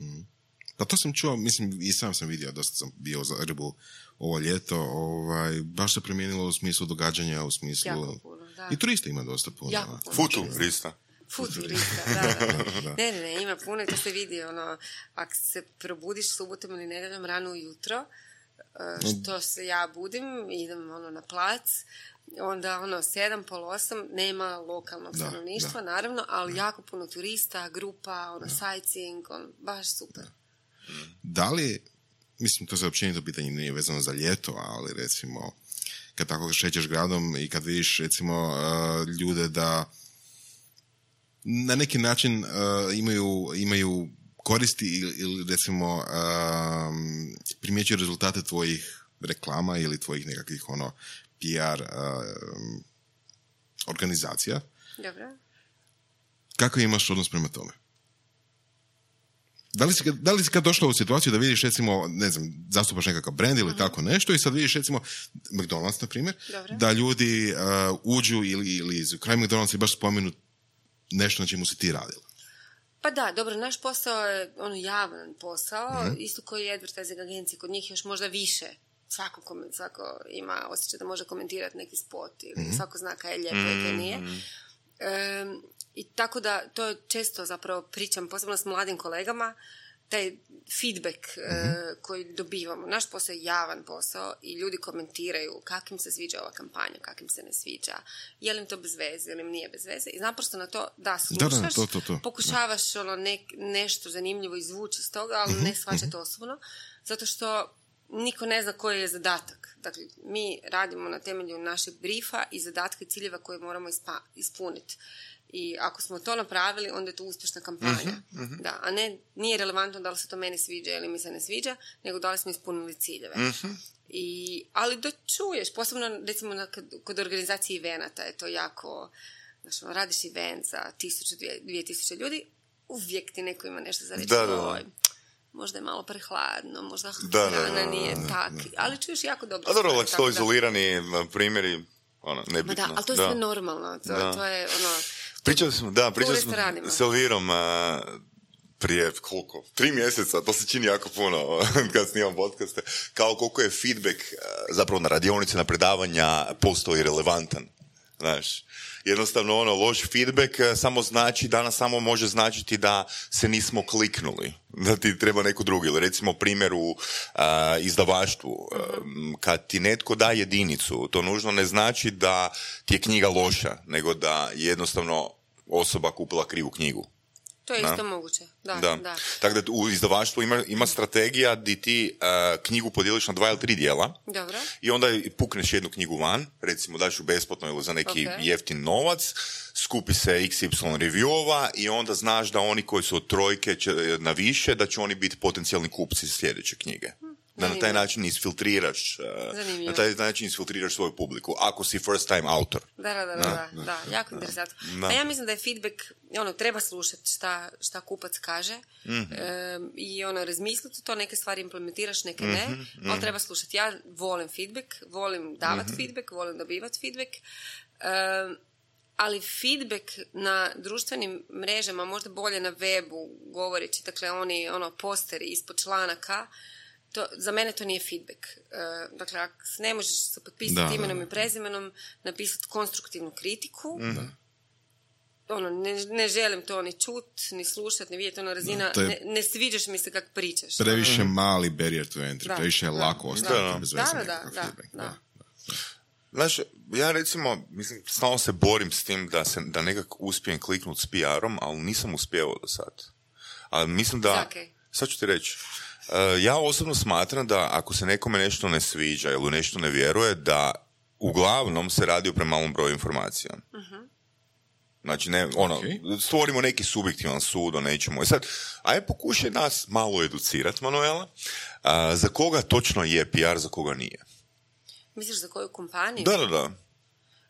mm. Pa to sam čuo, mislim, i sam sam vidio, dosta sam bio u Zagrebu ovo ljeto, ovaj, baš se promijenilo u smislu događanja, u smislu... Jako puno, da. I turista ima dosta puno. Jako puno. Futurista. Futurista, da, da, da. Ne, ne, ne, ima puno i to se vidi, ono, ako se probudiš subotom ili nedjeljom rano ujutro, što se ja budim, idem ono na plac, onda ono sedam, pol osam, nema lokalnog Da, stanovništva, da. naravno, ali jako puno turista, grupa, ono sightseeing, on, baš super. Da li, mislim, to se općenito pitanje nije vezano za ljeto, ali recimo, kad tako šećeš gradom i kad vidiš, recimo, uh, ljude da na neki način uh, imaju, imaju koristi ili, ili recimo, um, primjećuju rezultate tvojih reklama ili tvojih nekakvih, ono, P R um, organizacija. Dobro. Kako imaš odnos prema tome? Da li, si, da li si kad došla u situaciju da vidiš, recimo, ne znam, zastupaš nekakav brand ili uh-huh. tako nešto i sad vidiš, recimo, McDonald's, na primjer, Dobro. da ljudi uh, uđu ili, ili kraj McDonald's i baš spomenu nešto na čemu si ti radila? Pa da, dobro, naš posao je ono javan posao, Mhm. isto koji je advertising agencije, kod njih još možda više. Svako, komen- svako ima osjećaj da može komentirati neki spot ili Mhm. svako zna kaj je lijepo i kaj nije. Em, I tako da, to je često zapravo pričam, posebno s mladim kolegama, taj feedback e, koji dobivamo. Naš posao je javan posao i ljudi komentiraju kak im se sviđa ova kampanja, kak im se ne sviđa, je li im to bez veze ili im nije bez veze. I naprosto na to da slušaš, Da, da, to, to, to. pokušavaš ono nek, nešto zanimljivo izvući iz toga, ali ne shvaćati osobno, zato što niko ne zna koji je zadatak. Dakle, mi radimo na temelju našeg briefa i zadatka i ciljeva koje moramo ispa- ispuniti. I ako smo to napravili, onda je to uspješna kampanja. Mhm, Da, a ne, nije relevantno da li se to meni sviđa ili mi se ne sviđa, nego da li smo ispunili ciljeve. Mhm. I, ali da čuješ, posebno recimo na, kod, kod organizacije evenata je to jako, znači, ono, radiš event za tisuću, dvije, dvije tisuće ljudi, uvijek ti neko ima nešto za reći. Da, da, da. "Oj, možda je malo prehladno, možda Da, da, hrana da, nije da, tak." Ali čuješ jako dobro. A dobro, stvari, ali tako to da- izolirani primjeri, ono, Ma nebitno. da, ali to je sve normalno. To, Da. to je ono... Pričali smo, da, pričali u smo restoranima. s Elvirom a, prije koliko? Tri mjeseca, to se čini jako puno kad snimam podcaste, kao koliko je feedback a, zapravo na radionice, na predavanja postoji relevantan. Znaš, jednostavno ono, loš feedback a, samo znači, danas samo može značiti da se nismo kliknuli, da ti treba neko drugi. Ili recimo primjer u a, izdavaštvu, a, kad ti netko da jedinicu, to nužno ne znači da ti je knjiga loša, nego da je jednostavno osoba kupila krivu knjigu. To je Da. isto moguće. Da, Da. da. Tako da u izdavaštvu ima, ima strategija di ti uh, knjigu podijeliš na dva ili tri dijela Dobro. i onda pukneš jednu knjigu van, recimo daš ju besplatno ili za neki Ok. jeftin novac, skupi se iks ipsilon reviewova i onda znaš da oni koji su od trojke će, na više, da će oni biti potencijalni kupci sljedeće knjige. Da na taj zanimljivo. način isfiltriraš, uh, Zanimljivo. na taj način isfiltriraš svoju publiku, ako si first time autor. Da, da, da, da, da, da, jako interesantno. Da. A ja mislim da je feedback, ono, treba slušati šta, šta kupac kaže Mhm. e, i ono, razmisliti to, neke stvari implementiraš, neke ne, Mhm, ali treba slušati. Ja volim feedback, volim davati Mhm. feedback, volim dobivati feedback, e, ali feedback na društvenim mrežama, možda bolje na webu, govoreći, dakle, oni, ono, posteri ispod članaka, to, za mene to nije feedback. E, dakle, ako se ne možeš se potpisati Da, da, imenom da. i prezimenom, napisati konstruktivnu kritiku, ono, ne, ne želim to ni čut, ni slušat, ni vidjeti, ono, razina, Da, to je- ne, ne sviđaš mi se kako pričaš. Previše mali barrier to entry, Da, previše je da, lako da. ostaviti Da, bez da, veze da, nekakav da, feedback. da. Znaš, ja recimo, mislim, stalno se borim s tim da, se, da nekako uspijem kliknuti s P R-om, ali nisam uspjevao do sad. Ali mislim da... Zakaj? Sad ću ti reći. Uh, ja osobno smatram da ako se nekome nešto ne sviđa ili u nešto ne vjeruje, da uglavnom se radi o premalom broju informacija. Znači, ne, ono, Ok. stvorimo neki subjektivan sud o nečemu. I sad, ajde pokušaj nas malo educirati, Manuela, uh, za koga točno je P R, za koga nije. Misliš za koju kompaniju? Da, da, da.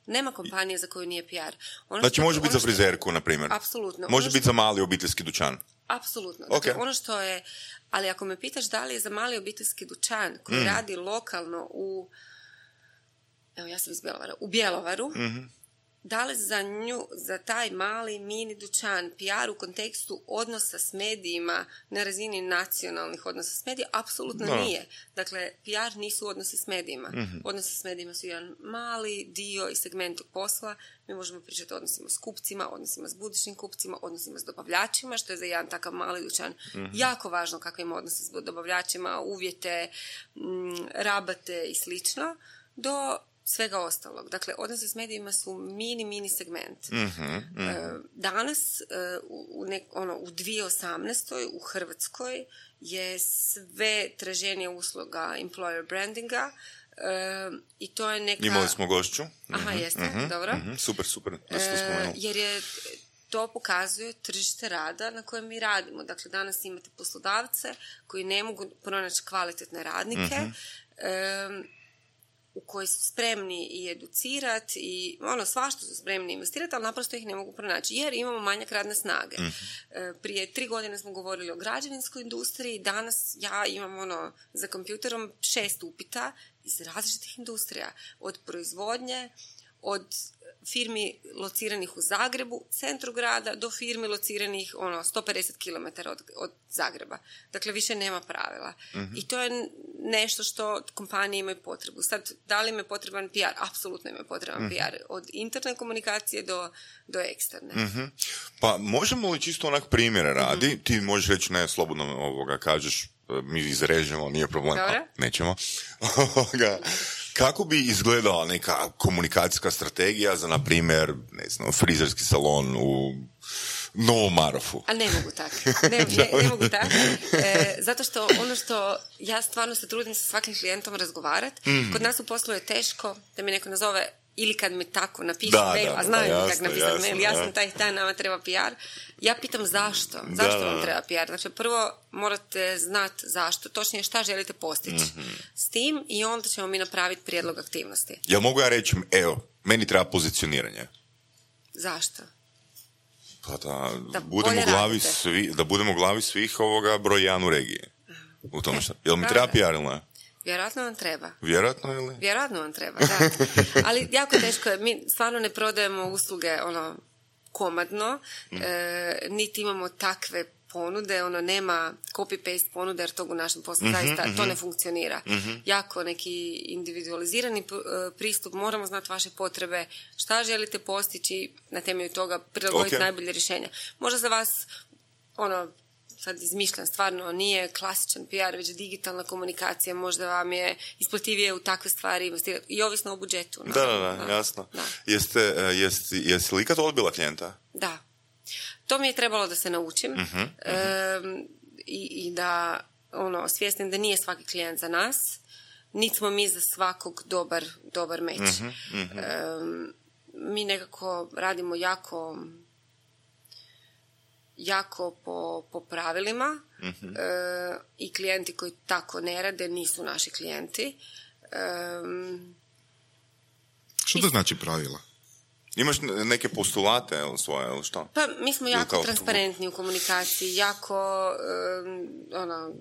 Nema kompanije za koju nije P R. Ono Znači, što- može biti ono za što- frizerku, na primjer. Apsolutno. Može Ono biti za mali obiteljski dućan. Apsolutno. Ok. Dakle, ono što je, ali ako me pitaš da li je za mali obiteljski dućan Mm. koji radi lokalno u, evo ja sam iz Bjelovara, u Bjelovaru, Mhm. da li za nju, za taj mali mini dućan, P R u kontekstu odnosa s medijima na razini nacionalnih odnosa s medijima, apsolutno no. nije. Dakle, P R nisu odnosi s medijima. Mm-hmm. Odnosi s medijima su jedan mali dio i segment posla. Mi možemo pričati o odnosima s kupcima, odnosima s budućim kupcima, odnosima s dobavljačima, što je za jedan takav mali dućan mm-hmm. jako važno kako ima odnose s dobavljačima, uvjete, m, rabate i slično, do svega ostalog. Dakle, odnose s medijima su mini, mini segment. Mm-hmm, mm-hmm. Danas, u, nek, ono, u dvije tisuće osamnaestoj u Hrvatskoj je sve traženje usluga employer brandinga uh, i to je neka... Imali smo gošću. Aha, mm-hmm, jeste, mm-hmm, dobro. Mm-hmm, super, super. Da ste uh, jer je to pokazuje tržište rada na kojem mi radimo. Dakle, danas imate poslodavce koji ne mogu pronaći kvalitetne radnike, mm-hmm. um, u koji su spremni i educirati i ono, svašta su spremni investirati, ali naprosto ih ne mogu pronaći, jer imamo manjak radne snage. Mm-hmm. Prije tri godine smo govorili o građevinskoj industriji, danas ja imam ono, za kompjuterom šest upita iz različitih industrija, od proizvodnje, od firmi lociranih u Zagrebu, centru grada, do firmi lociranih ono, sto pedeset kilometara od, od Zagreba. Dakle, više nema pravila. Mm-hmm. I to je nešto što kompanije imaju potrebu. Sad, da li im je potreban P R? Apsolutno im je potreban mm-hmm. P R. Od interne komunikacije do, do eksterne. Mm-hmm. Pa možemo li čisto onak primjera radi? Mm-hmm. Ti možeš reći, ne, slobodno ovoga kažeš, mi izrežemo, nije problem. Dobre. A, nećemo. Kako bi izgledala neka komunikacijska strategija za, na primjer, ne znam, frizerski salon u Novom Marofu? A ne mogu tako. Ne, ne, ne mogu tako. E, zato što ono što ja stvarno se trudim sa svakim klijentom razgovarati, mm. kod nas u poslu je teško da mi neko nazove ili kad mi tako napiše da, mail, da, a znaju da, mi kako napisati jasno, mail, ja da. sam taj dan, nama treba P R. Ja pitam zašto? Zašto da, vam da. treba P R? Dakle, prvo morate znati zašto, točnije šta želite postići mm-hmm. s tim i onda ćemo mi napraviti prijedlog aktivnosti. Jel mogu ja reći, evo, meni treba pozicioniranje? Zašto? Pa da, da budemo glavi svi, da budemo glavi svih ovoga broj jedan u regiji. U tome što. Jel mi da, treba da. P R ili ne? Vjerojatno vam treba. Vjerojatno ili? Vjerojatno vam treba, da. Ali jako teško je. Mi stvarno ne prodajemo usluge ono komadno, mm. e, niti imamo takve ponude, ono nema copy-paste ponude, jer tog u našem poslu mm-hmm, zaista mm-hmm. to ne funkcionira. Mm-hmm. Jako neki individualizirani pristup, moramo znati vaše potrebe, šta želite postići, na temelju toga prilagoditi okay. najbolje rješenja. Možda za vas, ono, sad izmišljam, stvarno nije klasičan P R, već digitalna komunikacija, možda vam je isplativije u takve stvari investirati i ovisno o budžetu. Da, da, da, da, jasno. Da. Jeste, jeste, jeste li ikad odbila klijenta? Da. To mi je trebalo da se naučim uh-huh, e, uh-huh. i, i da ono, svjesnim da nije svaki klijent za nas, niti smo mi za svakog dobar, dobar meč. Uh-huh, uh-huh. E, mi nekako radimo jako jako po, po pravilima uh-huh. e, i klijenti koji tako ne rade nisu naši klijenti. E, Što to znači pravila? Imaš neke postulate ili svoje, ili što? Pa mi smo jako kao... transparentni u komunikaciji, jako um, ono,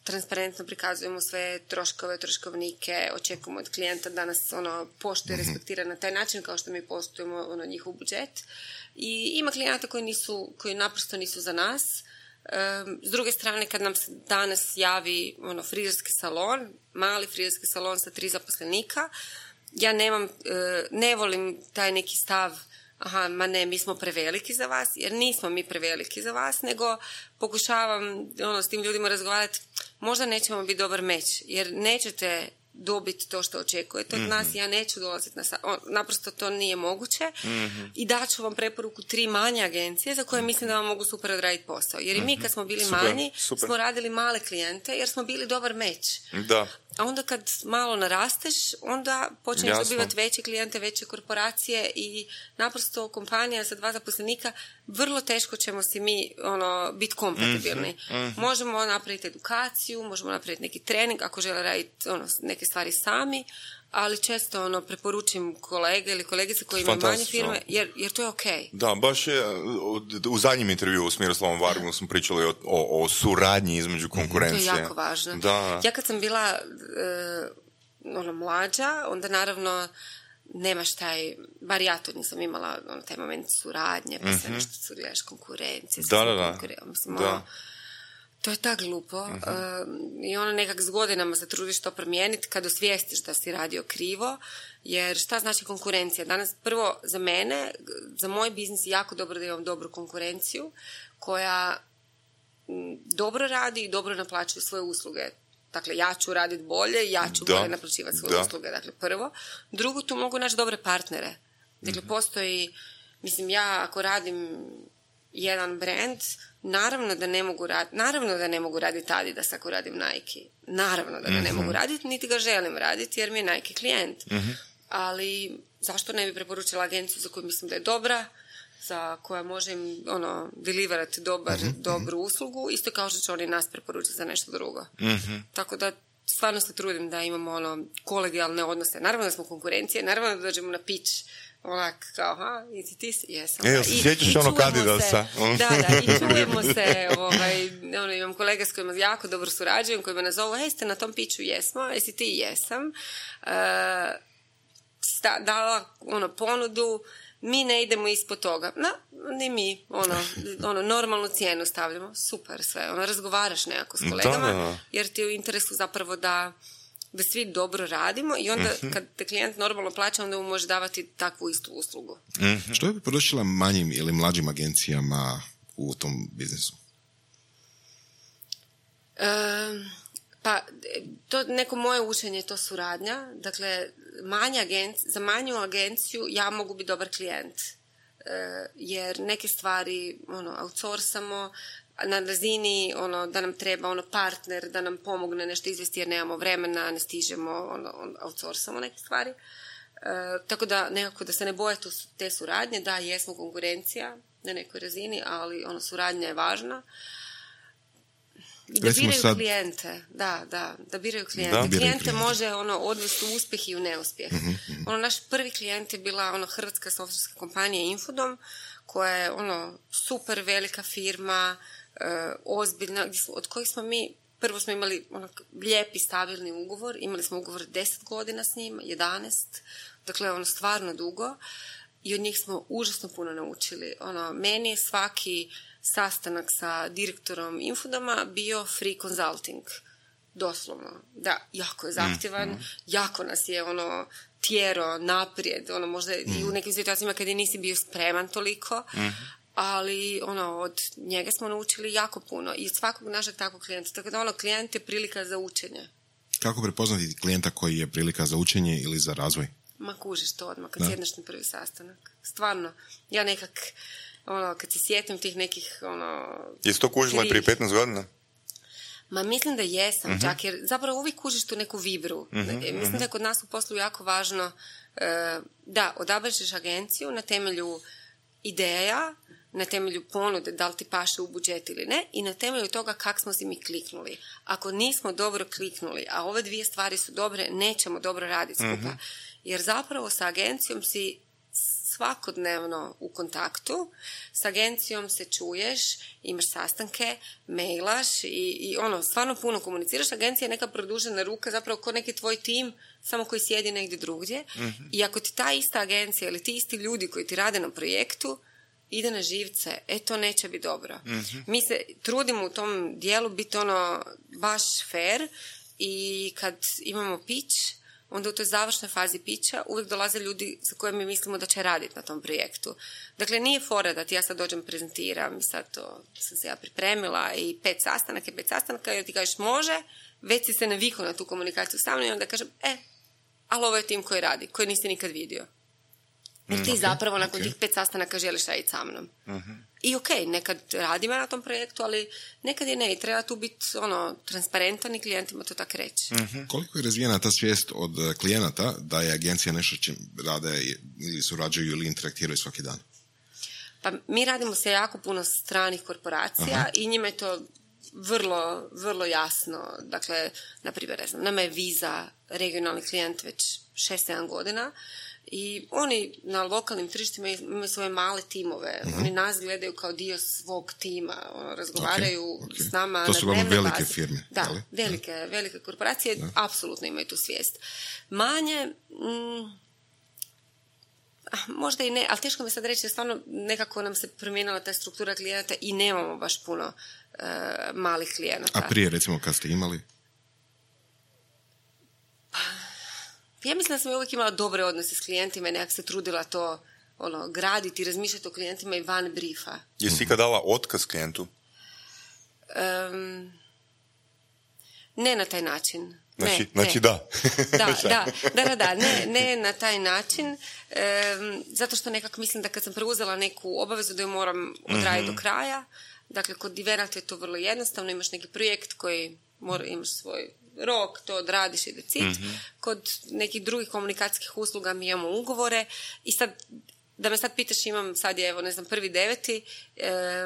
transparentno prikazujemo sve troškove, troškovnike, očekujemo od klijenta da nas ono, poštuje, mm-hmm. respektira na taj način kao što mi poštujemo ono, njihov budžet. I ima klijenata koji, nisu, koji naprosto nisu za nas. Um, s druge strane, kad nam se danas javi ono, frizerski salon, mali frizerski salon sa tri zaposlenika, ja nemam, ne volim taj neki stav, aha, ma ne, mi smo preveliki za vas, jer nismo mi preveliki za vas, nego pokušavam ono, s tim ljudima razgovarati, možda nećemo biti dobar meč, jer nećete dobiti to što očekujete od mm-hmm. nas, ja neću dolaziti na sa... On, naprosto to nije moguće mm-hmm. i daću vam preporuku tri manje agencije za koje mislim da vam mogu super odraditi posao. Jer mm-hmm. i mi kad smo bili super, manji, super. smo radili male klijente jer smo bili dobar meč. Da. A onda kad malo narasteš, onda počneš dobivati veće klijente, veće korporacije i naprosto kompanija sa dva zaposlenika, vrlo teško ćemo si mi ono, biti kompatibilni. Mm-hmm. Možemo napraviti edukaciju, možemo napraviti neki trening ako žele raditi ono, neke stvari sami, ali često ono, preporučim kolege ili kolegice koji imaju manje firme, jer, jer to je okej. Okay. Da, baš je, u zadnjem intervjuu s Miroslavom Vargom smo pričali o, o, o suradnji između konkurencije. To je jako važno. Da. Ja kad sam bila e, ono, mlađa, onda naravno nemaš taj, bar ja to nisam imala, ono, taj moment suradnje, pa sve nešto su gledaš konkurencije. Da, da, da. Konkuren... Mislim, da. ono, to je tak glupo. Uh-huh. Uh, I ono nekak s godinama se trudiš to promijeniti kad osvijestiš da si radio krivo, jer šta znači konkurencija? Danas, prvo, za mene, za moj biznis je jako dobro da imam dobru konkurenciju koja m, dobro radi i dobro naplaćuje svoje usluge. Dakle, ja ću raditi bolje, ja ću da. bolje naplaćivati svoje da. usluge. Dakle, prvo. Drugo, tu mogu naći dobre partnere. Dakle, mm-hmm. postoji, mislim, ja ako radim jedan brand, naravno da ne mogu raditi, naravno da ne mogu raditi Adidas ako radim Nike. Naravno da ga mm-hmm. ne mogu raditi, niti ga želim raditi jer mi je Nike klijent. Mm-hmm. Ali zašto ne bi preporučila agenciju za koju mislim da je dobra, za koja može im ono, deliverati dobar, mm-hmm. dobru uslugu, isto kao što će oni nas preporučiti za nešto drugo. Mm-hmm. Tako da stvarno se trudim da imamo ono, kolegijalne odnose. Naravno da smo konkurencije, naravno da dođemo na pitch onak kao, ha, i ti ti si, jesam. E, se sjećaš ono Adidasa? Da, da, i čujemo se, ovaj, ono, imam kolege s kojima jako dobro surađujem, kojima nazovu, hej, ste na tom pitchu, jesmo, jesi ti, jesam. Uh, sta, dala, ono, ponudu, mi ne idemo ispod toga. No, ni mi, ono, ono, normalnu cijenu stavljamo. Super sve, ono, razgovaraš nekako s kolegama, da, da. Jer ti je u interesu zapravo da da svi dobro radimo i onda mm-hmm. kad te klijent normalno plaća, onda mu može davati takvu istu uslugu. Mm-hmm. Što bi poručila manjim ili mlađim agencijama u tom biznisu? E, pa, to neko moje učenje je to suradnja. Dakle, manja agenci, za manju agenciju ja mogu biti dobar klijent. E, jer neke stvari ono, outsourcamo, na razini ono, da nam treba ono, partner, da nam pomogne nešto izvesti jer nemamo vremena, ne stižemo, ono, outsourcamo neke stvari. E, tako da nekako da se ne boje tu, te suradnje, da jesmo konkurencija na nekoj razini, ali ono, suradnja je važna. Da Recimo biraju sad... klijente, da, da, da biraju klijente. Da, biraju klijente, klijente može ono, odvesti u uspjeh i u neuspjeh. Mm-hmm, mm-hmm. Ono, naš prvi klijent je bila ono, hrvatska softverska kompanija Infodom, koja je ono, super velika firma, Uh, ozbiljna, od kojih smo mi, prvo smo imali onak lijepi, stabilni ugovor, imali smo ugovor deset godina s njima, jedanaest, dakle ono stvarno dugo i od njih smo užasno puno naučili. Ono, meni je svaki sastanak sa direktorom Infodoma bio free consulting, doslovno. Da, jako je zahtjevan, mm-hmm. jako nas je ono tjero naprijed, ono možda mm-hmm. i u nekim situacijama kada nisi bio spreman toliko, mm-hmm. ali ono, od njega smo naučili jako puno i od svakog našeg takvog klijenta. Tako da ono, klijent je prilika za učenje. Kako prepoznati klijenta koji je prilika za učenje ili za razvoj? Ma kužiš to odmah, kad sjedneš na prvi sastanak. Stvarno, ja nekak, ono, kad se sjetim tih nekih, ono... Jesi to kužila prije petnaest godina? Ma mislim da jesam, uh-huh. čak, jer zapravo uvijek kužiš tu neku vibru. Uh-huh, mislim uh-huh. da je kod nas u poslu jako važno uh, da odabereš agenciju na temelju ideja, na temelju ponude, da li ti paše u budžet ili ne, i na temelju toga kak smo si mi kliknuli. Ako nismo dobro kliknuli, a ove dvije stvari su dobre, nećemo dobro raditi skupa. Mm-hmm. Jer zapravo sa agencijom si svakodnevno u kontaktu, s agencijom se čuješ, imaš sastanke, mailaš i, i ono, stvarno puno komuniciraš. Agencija je neka produžena ruka, zapravo ko neki tvoj tim, samo koji sjedi negdje drugdje. Mm-hmm. I ako ti ta ista agencija ili ti isti ljudi koji ti rade na projektu ide na živce, e to neće biti dobro. Mm-hmm. Mi se trudimo u tom dijelu biti ono baš fair i kad imamo pitch, onda u toj završnoj fazi pitcha uvijek dolaze ljudi za koje mi mislimo da će raditi na tom projektu. Dakle, nije fora da ti ja sad dođem prezentiram i sad to sam se ja pripremila i pet sastanaka i pet sastanaka i ti kažeš može, već si se navikao na tu komunikaciju sa mnom i onda kažem, e, ali ovo je tim koji radi, koji nisi nikad vidio. Jer ti mm, okay, zapravo nakon okay. tih pet sastanaka želiš raditi sa mnom. Uh-huh. I ok, nekad radimo na tom projektu, ali nekad i ne. I treba tu biti ono, transparentan i klijentima to tako reći. Uh-huh. Koliko je razvijena ta svijest od klijenata da je agencija nešto čim rade ili surađuju ili interaktiraju svaki dan? Pa mi radimo se jako puno stranih korporacija uh-huh. i njima je to vrlo, vrlo jasno. Dakle, na primjer, ne znam, nama je Visa regionalni klijent već šest sedam godina. I oni na lokalnim tržištima imaju svoje male timove. Mm-hmm. Oni nas gledaju kao dio svog tima. Ono, razgovaraju okay, okay. s nama to na su dnevnoj velike bazi. Firme. Da, ali? velike, da. velike korporacije da. Apsolutno imaju tu svijest. Manje, mm, Možda i ne, ali teško mi sad reći, stvarno nekako nam se promijenila ta struktura klijenata i nemamo baš puno uh, malih klijenata. A prije, recimo, kad ste imali? Ja mislim da sam uvijek imala dobre odnose s klijentima i nekak se trudila to ono, graditi, razmišljati o klijentima i van briefa. Jesi ikad dala otkaz klijentu? Um, ne na taj način. Znači, ne, znači ne. da. da, da, da, da, da, ne, ne na taj način, um, zato što nekako mislim da kad sam preuzela neku obavezu da ju moram odraditi mm-hmm. do kraja, dakle, kod Divenata je to vrlo jednostavno, imaš neki projekt koji mora, imaš svoj rok, to odradiš i decid. Mm-hmm. Kod nekih drugih komunikacijskih usluga mi imamo ugovore i sad, da me sad pitaš, imam sad je, evo, ne znam, prvi deveti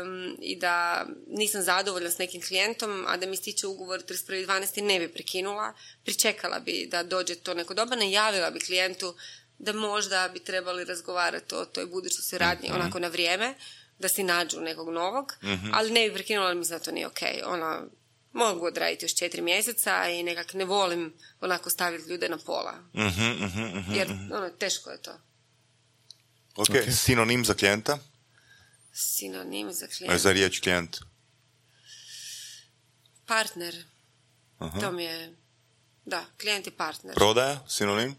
um, i da nisam zadovoljna s nekim klijentom, a da mi stiče ugovor trideset prvi dvanaesti ne bi prekinula, pričekala bi da dođe to neko doba, najavila bi klijentu da možda bi trebali razgovarati o toj budućoj suradnji mm-hmm. onako na vrijeme, da si nađu nekog novog, mm-hmm. ali ne bi prekinula, ali mislim da to nije ok. Ona, mogu odraditi još četiri mjeseca i nekak ne volim onako staviti ljude na pola. Mm-hmm, mm-hmm, jer ono, teško je to. Ok, okay. Sinonim za klijenta? Sinonim za klijenta? Za riječ klijent? Partner. Aha. To mi je... Da, klijent je partner. Prodaja? Sinonim?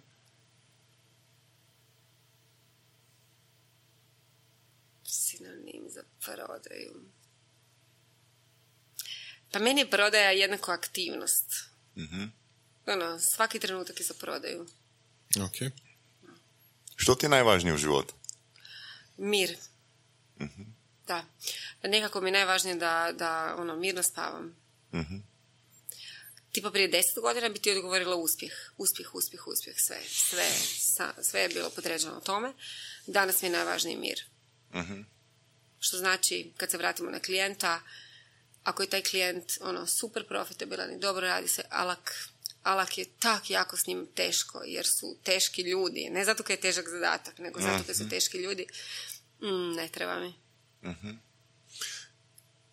Sinonim za prodaju. Pa meni je prodaja jednako aktivnost. Mm-hmm. Ono, svaki trenutak je za prodaju. Ok. Što ti je najvažnije u životu? Mir. Mm-hmm. Da. Nekako mi je najvažnije da, da ono, mirno spavam. Mm-hmm. Tipa prije deset godina bi ti odgovorila uspjeh. Uspjeh, uspjeh, uspjeh. Sve, sve, sa, sve je bilo podređeno tome. Danas mi je najvažniji mir. Mm-hmm. Što znači, kad se vratimo na klijenta, ako je taj klijent ono, super profitabilan i dobro radi se, alak, alak je tak jako s njim teško, jer su teški ljudi. Ne zato kad je težak zadatak, nego zato kad su teški ljudi. Mm, ne treba mi. Mm-hmm.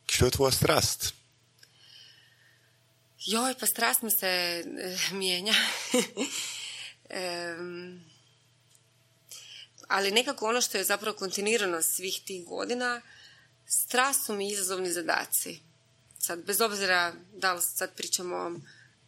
Što je tvoja strast? Joj, pa strast mi se e, mijenja. um, ali nekako ono što je zapravo kontinuirano svih tih godina, strast su mi izazovni zadaci. Sad, bez obzira da li sad pričamo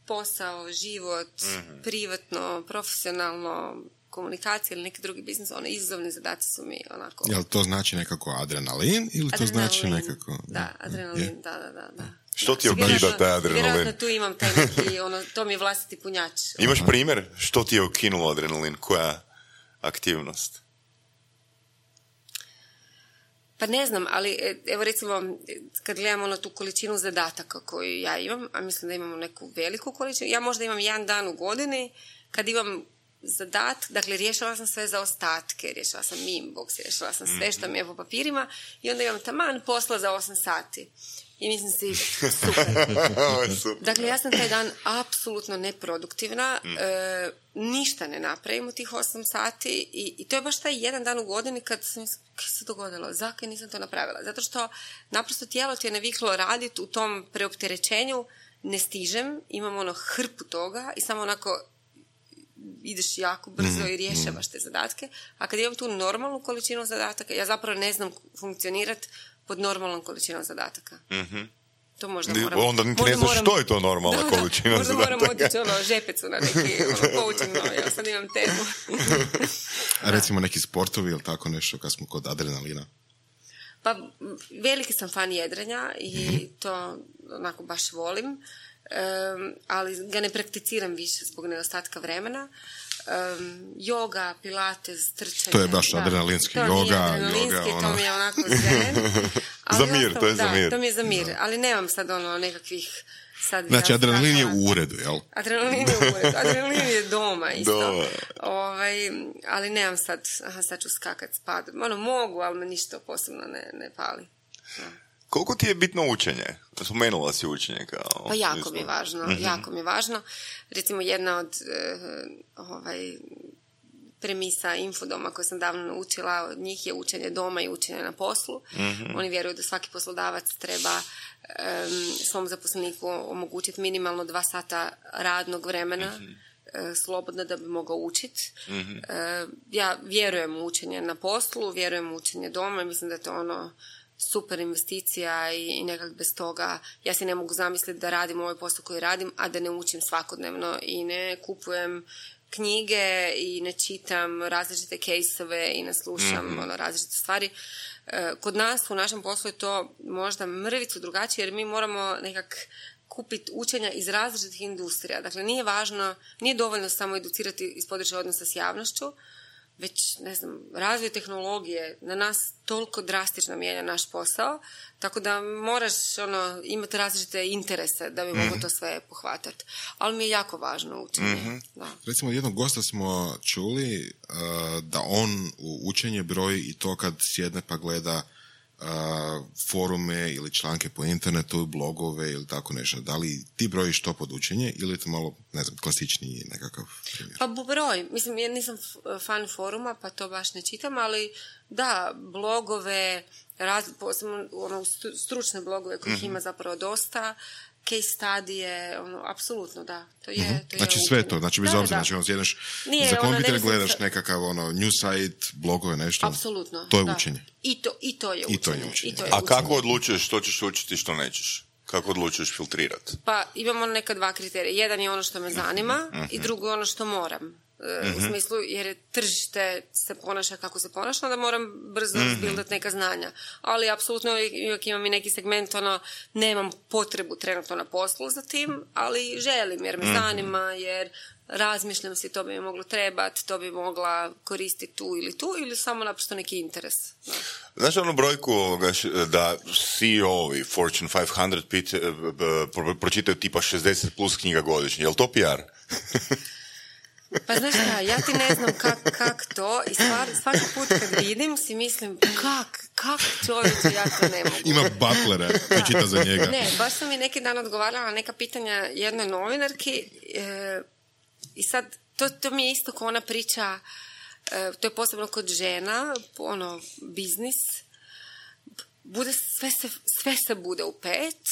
posao, život, mm-hmm. privatno, profesionalno, komunikacija ili neki drugi biznis, one izazovni zadaci su mi onako... Jel to znači nekako adrenalin ili to adrenalin, znači nekako... Da, adrenalin, je? da, da, da. da. Što ti ukida taj adrenalin? Vjerojatno tu imam taj neki, ono, to mi je vlastiti punjač. Imaš primjer? Što ti je ukinulo adrenalin? Koja aktivnost? Pa ne znam, ali evo recimo kad gledamo na tu količinu zadataka koju ja imam, a mislim da imamo neku veliku količinu, ja možda imam jedan dan u godini kad imam zadat, dakle riješila sam sve za ostatke, riješila sam inbox, riješila sam sve što mi je po papirima i onda imam taman posla za osam sati. I mislim si, super. Dakle, ja sam taj dan apsolutno neproduktivna, mm. e, ništa ne napravim u tih osam sati i, i to je baš taj jedan dan u godini kad sam, kaj se dogodilo, zakaj nisam to napravila? Zato što naprosto tijelo ti je naviklo raditi u tom preopterećenju, ne stižem, imam ono hrpu toga i samo onako ideš jako brzo mm. i rješavaš te zadatke, a kad imam tu normalnu količinu zadataka, ja zapravo ne znam funkcionirati pod normalnom količinom zadataka. Mm-hmm. To možda moram... Onda niti ne znaš što je to normalna da, količina da, možda zadataka. Možda moram otići ono žepecu na neki ono, coaching, no, ja sad imam temu. A recimo neki sportovi ili tako nešto kad smo kod adrenalina? Pa veliki sam fan jedrenja i mm-hmm. to onako baš volim, um, ali ga ne prakticiram više zbog nedostatka vremena. Um, yoga, pilates, trčanje. To je baš da. adrenalinski. To yoga, nije adrenalinski, yoga, to ono... mi je onako zen. Za mir, ostalo, to je da, za mir. to mi je za mir, da. Ali nemam sad ono nekakvih... Sad, znači, ja, adrenalin je sad, u uredu, jel? Adrenalin je u uredu. Adrenalin je doma isto. Doma. Ovaj, ali nemam sad, aha, sad ću skakat spad. Ono, mogu, ali me ništa posebno ne, ne pali. Da. Koliko ti je bitno učenje? Spomenula si učenje kao... Pa jako mi je važno, mm-hmm. jako mi je važno. Recimo, jedna od uh, ovaj, premisa Infodoma koje sam davno naučila, od njih je učenje doma i učenje na poslu. Mm-hmm. Oni vjeruju da svaki poslodavac treba um, svom zaposleniku omogućiti minimalno dva sata radnog vremena mm-hmm. e, slobodno da bi mogao učiti. Mm-hmm. E, ja vjerujem u učenje na poslu, vjerujem u učenje doma i mislim da je to ono super investicija i, i nekak bez toga ja si ne mogu zamisliti da radim ovaj posao koji radim, a da ne učim svakodnevno i ne kupujem knjige i ne čitam različite kejsove i ne slušam mm-hmm. ono, različite stvari. E, kod nas u našem poslu je to možda mrvicu drugačije jer mi moramo nekak kupiti učenja iz različitih industrija. Dakle, nije važno, nije dovoljno samo educirati iz područja odnosa s javnošću, već, ne znam, razvoj tehnologije na nas toliko drastično mijenja naš posao, tako da moraš ono, imati različite interese da bi mm-hmm. mogo to sve pohvatati. Ali mi je jako važno učenje. Mm-hmm. Da. Recimo, jednog gosta smo čuli uh, da on u učenje broji i to kad sjedne pa gleda uh, forume ili članke po internetu, blogove ili tako nešto. Da li ti brojiš to pod učenje ili je to malo, ne znam, klasičniji nekakav primjer? Pa broj. Mislim, ja nisam fan foruma, pa to baš ne čitam, ali da, blogove, raz, posebno ono, stručne blogove kojih mm-hmm. ima zapravo dosta, case studije, ono, apsolutno, da. To je, mm-hmm. to je znači sve to, znači bez da, obzira, da. znači ono sjedneš Nije, za kompjuter ono, gledaš sam... nekakav ono, news site, blogove, nešto. Apsolutno. To je da. učenje. I to, i to je I učenje. to je učenje. I to je A učenje. kako odlučuješ što ćeš učiti, što nećeš? Kako odlučuješ filtrirati? Pa imamo neka dva kriterija. Jedan je ono što me zanima mm-hmm. i drugo je ono što moram. Mm-hmm. U smislu, jer je tržište se ponaša kako se ponaša, onda moram brzo mm-hmm. zbildati neka znanja. Ali apsolutno uvijek imam i neki segment, ono, nemam potrebu trenutno na poslu za tim, ali želim jer me mm-hmm. zanima, jer razmišljam si to bi mi moglo trebati, to bi mogla koristiti tu ili tu, ili samo naprosto neki interes. No. Znaš onu brojku ovoga, da C E O-ovi Fortune petsto pit, pro, pročitaju tipa šezdeset plus knjiga godišnje, je li to P R? Pa znaš šta, ja ti ne znam kak, kak to i stvar, svaki put kad vidim si mislim kak, kak čovječe, ja to ne mogu. Ima butlera koji čita za njega. Ne, baš sam mi neki dan odgovarala na neka pitanja jednoj novinarki e, i sad to, to mi je isto ko ona priča, e, to je posebno kod žena, ono, biznis, bude, sve, se, sve se bude u pet,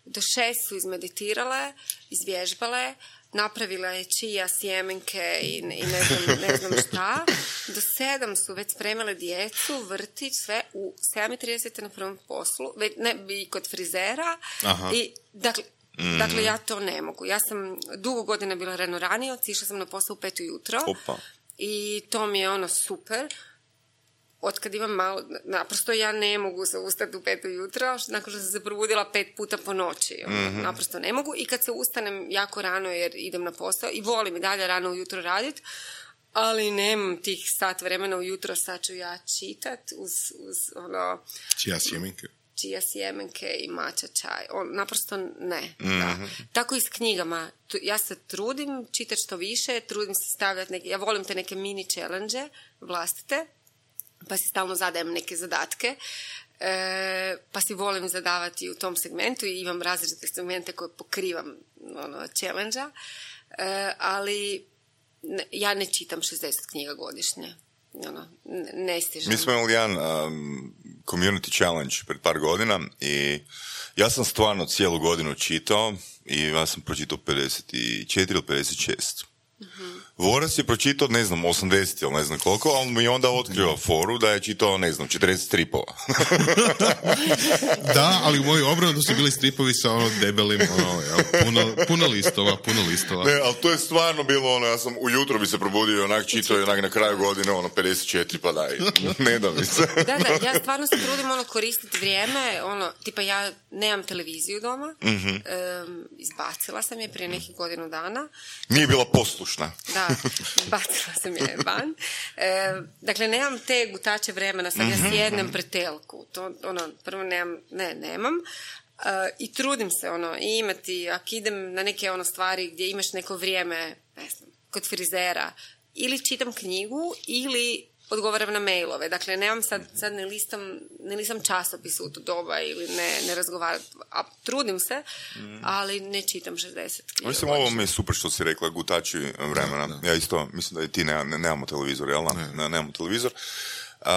do šest su izmeditirale, izvježbale, napravila je čija, sjemenke i, i ne, znam, ne znam šta. Do sedam su već spremile djecu, vrtić, sve u sedam i trideset na prvom poslu, već, ne, i kod frizera. Aha. I, dakle, mm. dakle, ja to ne mogu. Ja sam dugo godina bila ranoranioc, išla sam na posao u pet ujutro. Opa. I to mi je ono super. Otkad imam malo, naprosto ja ne mogu se ustati u pet ujutro, nakon što sam se probudila pet puta po noći. Mm-hmm. Naprosto ne mogu. I kad se ustanem jako rano jer idem na posao i volim i dalje rano ujutro raditi, ali nemam tih sat vremena ujutro, sad ću ja čitat uz, uz ono... Čija sjemenke? Čija sjemenke i mača čaj. On, naprosto ne. Mm-hmm. Da. Tako i s knjigama. Ja se trudim čitati što više, trudim se stavljati neke... Ja volim te neke mini challenge vlastite, pa si stalno zadajem neke zadatke, e, pa si volim zadavati u tom segmentu i imam različite segmente koje pokrivam ono, challenge-a, e, ali ne, ja ne čitam šezdeset knjiga godišnje. Ono, ne, ne stižem. Mi smo imali jedan um, community challenge pred par godina i ja sam stvarno cijelu godinu čitao i ja sam pročitao pedeset četiri ili pedeset šest. Mm-hmm. Vorac je pročitao, ne znam, osamdeset ili ne znam koliko, a on mi je onda otkrio foru da je čitao, ne znam, četrdeset stripova. Da, ali u mojoj obranu su bili stripovi sa ono debelim, ono, jel, puno, puno listova, puno listova. Ne, ali to je stvarno bilo ono, ja sam ujutro bi se probudio i onak čitao i onak na kraju godine, ono, pedeset četiri, pa daj, ne da mi se. Da, da, ja stvarno se trudim, ono, koristiti vrijeme, ono, tipa ja nemam televiziju doma, mm-hmm. um, izbacila sam je prije nekih godinu dana. Nije bila poslušna. Da, bacila sam je van. E, dakle, nemam te gutače vremena, sad mm-hmm. ja sjednem pred telku. To, ono, prvo nemam, ne, nemam. E, I trudim se, ono, i imati, ako idem na neke ono stvari gdje imaš neko vrijeme, ne znam, kod frizera, ili čitam knjigu, ili odgovaram na mailove. Dakle, nemam sad, sad ne listam, ne listam časopis u to doba ili ne, ne razgovaram. A trudim se, mm. ali ne čitam šezdeset knjiga. Mislim, ovo mi je super što si rekla, gutači vremena. Da, da. Ja isto, mislim da i ti ne, ne, nemamo televizor, jel? Ne. Ne, nemamo televizor. Uh,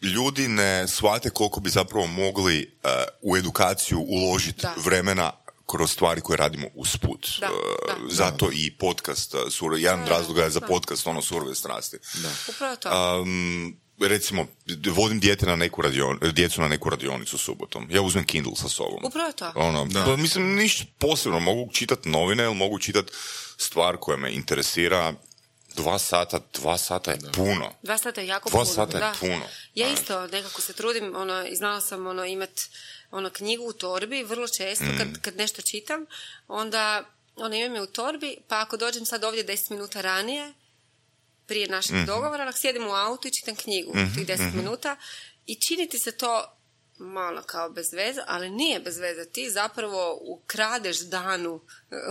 ljudi ne shvate koliko bi zapravo mogli uh, u edukaciju uložiti da. vremena kroz stvari koje radimo usput. Da, Uh, da. zato i podcast, uh, sur, jedan Da, razloga je za da. podcast, ono, surove strasti. Da. Upravo to. Um, recimo, vodim dijete na neku radion, djecu na neku radionicu subotom. Ja uzmem Kindle sa sobom. Upravo to. Ono, Da. pa, mislim, ništa posebno. Mogu čitati novine ili mogu čitati stvar koja me interesira. Dva sata, dva sata je puno. Dva sata je jako Dva puno. sata je da. puno. Ja isto nekako se trudim, ono, i znala sam ono, imat ono, knjigu u torbi, vrlo često Mm. kad, kad nešto čitam, onda ono, imam je u torbi, pa ako dođem sad ovdje deset minuta ranije, prije našeg Mhm. dogovora, onak sjedim u autu i čitam knjigu tih deset minuta i čini ti se to malo kao bez veze, ali nije bez veze. Ti zapravo ukradeš danu,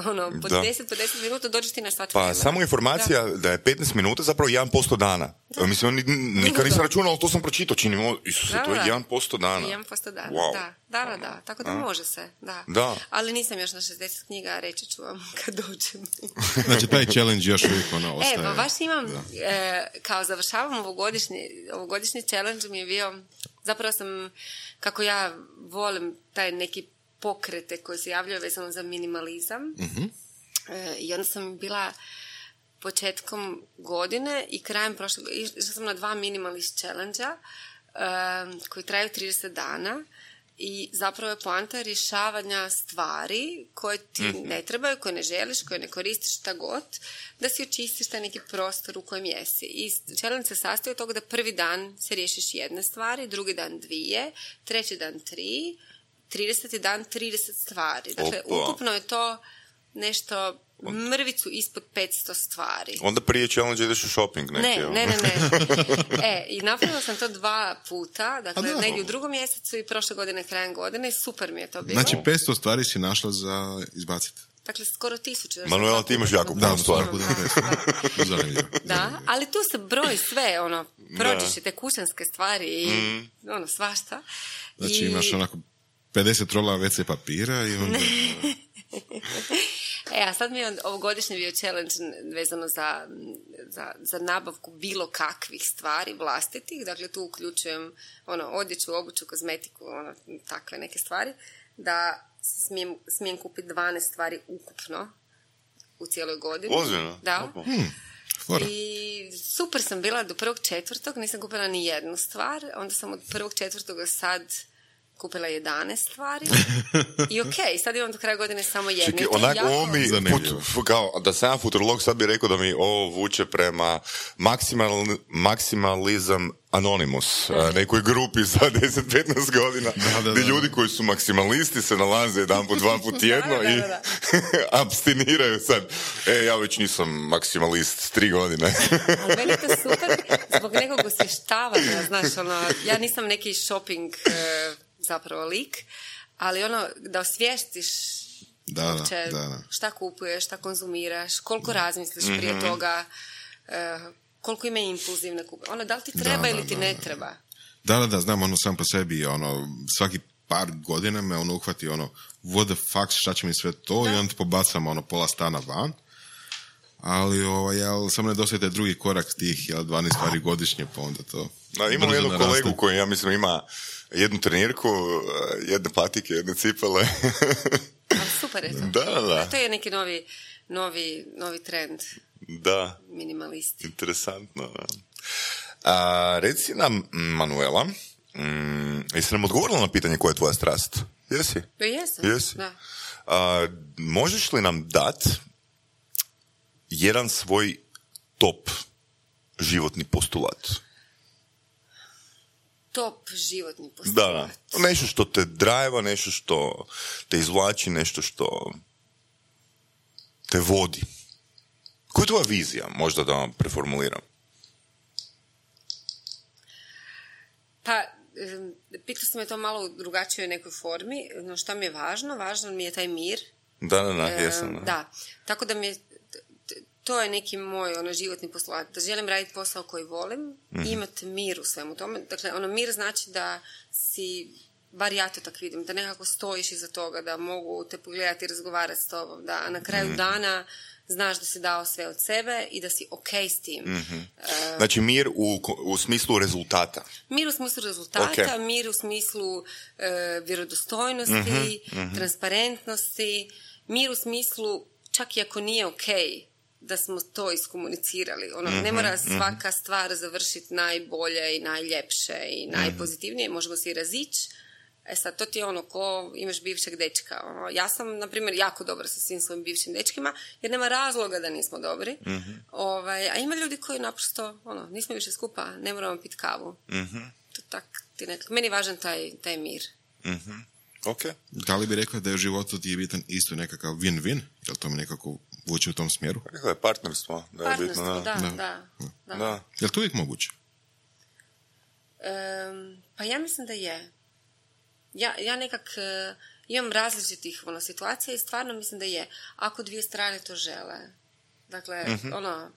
ono, po Da. deset, po deset minuta dođeš ti na sat Pa vremena. samo informacija da. da je petnaest minuta zapravo jedan posto dana. Mislim, ni- nikad nisam računao, ali to sam pročitao, čini mi, Isuse, Da, to je da. jedan posto dana. jedan posto dana, Wow. da. Da, da, da. Tako da može se, da. Da. Ali nisam još na šezdeset knjiga, reći ću vam kad dođem. Znači, taj challenge još uvijek ono ostaje. E, pa baš imam, e, kao završavam ovogodišnji, ovogodišnji challenge mi je bio, zapravo sam, kako ja volim taj neki pokrete koji se javljaju vezano za minimalizam. E, I onda sam bila početkom godine i krajem prošle godine, išla sam na dva minimalist challenge-a e, koji traju trideset dana i zapravo je poanta rješavanja stvari koje ti ne trebaju, koje ne želiš, koje ne koristiš, šta god, da si očistiš taj neki prostor u kojem jesi. I challenge se sastoji od toga da prvi dan se riješiš jedne stvari, drugi dan dvije, treći dan tri, trideseti dan trideset stvari. Dakle, Opa. ukupno je to nešto mrvicu ispod petsto stvari. Onda prije challenge ideš u shopping neki. Ne, jel? ne, ne, ne. E, i napravila sam to dva puta, dakle, A da. negdje u drugom mjesecu i prošle godine, krajem godine, i super mi je to bilo. Znači, petsto stvari si našla za izbaciti. Dakle, skoro tisuću. jer sam Manuela, dva ti imaš puta jako napravila. puno stvari. Puno Da, petsto. Zanimljivo. Da, ali tu se broji sve, ono, prođeš i te kućanske stvari i ono, svašta. Znači, I- imaš onako pedeset rola ve ce papira i onda... E, a sad mi je ovogodišnji bio challenge vezano za, za, za nabavku bilo kakvih stvari vlastitih, dakle tu uključujem ono, odjeću, obuću, kozmetiku, ono, takve neke stvari, da smijem, smijem kupiti dvanaest stvari ukupno u cijeloj godini. Ozbiljno? Da. Opa. Fora. I super sam bila do prvog četvrtog, nisam kupila ni jednu stvar, onda sam od prvog četvrtoga sad kupila jedanaest stvari i ok, sad imam do kraja godine samo jednu. Čekaj, I to je onak, jako- ovo mi, Zanimljivo. fut, kao, da sam ja futurolog, sad bi rekao da mi ovo vuče prema maksimal, maksimalizam Anonymous, a, nekoj grupi za deset do petnaest godina, Da, da, gdje da. ljudi koji su maksimalisti se nalaze jedan put, dva put tjedno Da, da, i da, da. abstiniraju sad. E, ja već nisam maksimalist tri godine. Ali meni je to super zbog nekog osvještavanja, znaš, ono, ja nisam neki shopping e, zapravo lik, ali ono, da osvijestiš Da, da, uopće da, da. šta kupuješ, šta konzumiraš, koliko razmisliš prije toga, e, koliko ima impulzivne kupe. Ono, da li ti treba Da, ili da, ti da, ne da. treba? Da, da, da, znam, ono, sam po sebi, ono, svaki par godina me ono uhvati, ono, what the fuck, šta će mi sve to, i onda pobacam, ono, pola stana van. Ali, ovaj, jel, samo nedostaje taj drugi korak tih, jel, dvanaest stvari godišnje, pa onda to... Da, imamo brzo jednu naraste. kolegu koji, ja mislim, ima jednu trenirku, jedne patike, jedne cipele. Ali super je to. Da, da. To je neki novi, novi, novi trend, Da, minimalisti. interesantno. Da. A, reci nam, Manuela, mm, jesi nam odgovorila na pitanje koja je tvoja strast? Jesi? Ja jesam. Jesi? Da. A, možeš li nam dat jedan svoj top životni postulat? Top životni Da, postulat. da. Nešto što te drajeva, nešto što te izvlači, nešto što te vodi. Koja je tvoja vizija? Možda da vam preformuliram. Pa, em, pitao sam me to malo u drugačijoj nekoj formi. No, šta mi je važno? Važno mi je taj mir. Da, da, da, Em, jesam. Da. da. Tako da mi je, t- t- to je neki moj ono, životni postulat. Da želim raditi posao koji volim i imati mir u svemu tome. Dakle, ono, mir znači da si, bar ja to tak vidim, da nekako stojiš iza toga, da mogu te pogledati i razgovarati s tobom, da na kraju dana znaš da si dao sve od sebe i da si ok s tim. Mm-hmm. Uh, znači mir u, u smislu rezultata. Mir u smislu rezultata, okay. Mir u smislu uh, vjerodostojnosti, mm-hmm. transparentnosti, mir u smislu, čak i ako nije ok, da smo to iskomunicirali. Ono, mm-hmm. ne mora svaka stvar završiti najbolje i najljepše i najpozitivnije, možemo se i razići. E sad, to ti je ono ko imaš bivšeg dečka. Ono, ja sam, na primjer, jako dobra sa svim svojim bivšim dečkima, jer nema razloga da nismo dobri. Mm-hmm. Ovaj, a ima ljudi koji naprosto, ono, nismo više skupa, ne moramo piti kavu. Mm-hmm. To tak, ti nekak, meni je važan taj, taj mir. Mm-hmm. Okay. Da li bi rekla da je u životu ti je bitan isto nekakav win-win? Je li to mi nekako vuče u tom smjeru? Rekla je partnerstvo. Da je partnerstvo, bitno, da, da. da, da, da. da. Je li to uvijek moguće? Um, pa ja mislim da je. Ja, ja nekak uh, imam različitih ono, situacija i stvarno mislim da je. Ako dvije strane to žele. Dakle, mm-hmm. ono,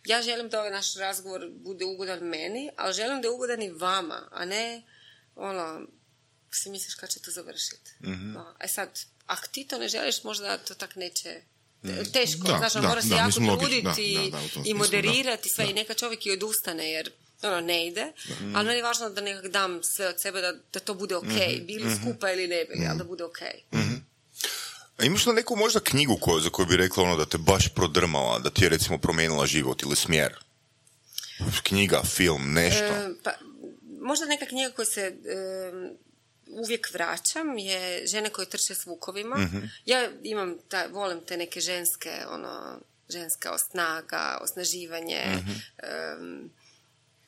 ja želim da ovaj naš razgovor bude ugodan meni, ali želim da je ugodan i vama, a ne, ono, si misliš kad će to završiti. Mm-hmm. No, e sad, ako ti to ne želiš, možda to tak neće... Teško, da, znaš, da, mora se da, jako truditi i moderirati da, sve da. I neka čovjek i odustane jer ono, ne ide, mm. ali meni je važno da nekak dam sve od sebe da, da to bude ok, mm-hmm. bili mm-hmm. skupa ili ne bili, mm-hmm. ali da bude ok. Mm-hmm. A imaš li neku možda knjigu koju, za koju bi rekla ono da te baš prodrmala, da ti je recimo promijenila život ili smjer? Knjiga, film, nešto? E, pa, možda neka knjiga koja se... E, uvijek vraćam je Žene koje trče s vukovima. Mm-hmm. Ja imam, ta, volim te neke ženske, ono, ženska snaga, osnaživanje. Mm-hmm. Um,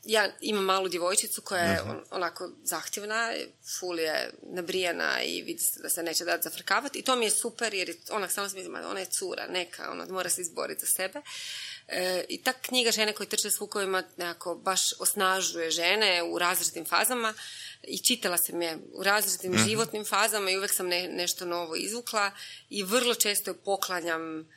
ja imam malu djevojčicu koja je mm-hmm. on, onako zahtjevna, ful je nabrijana i vidi se da se neće dati zafrkavati i to mi je super jer onak samo smislim, ona je cura, neka, ona mora se izboriti za sebe. E, I ta knjiga Žene koje trče s vukovima nekako baš osnažuje žene u različitim fazama i čitala sam je u različitim mm-hmm. životnim fazama i uvijek sam ne, nešto novo izvukla i vrlo često poklanjam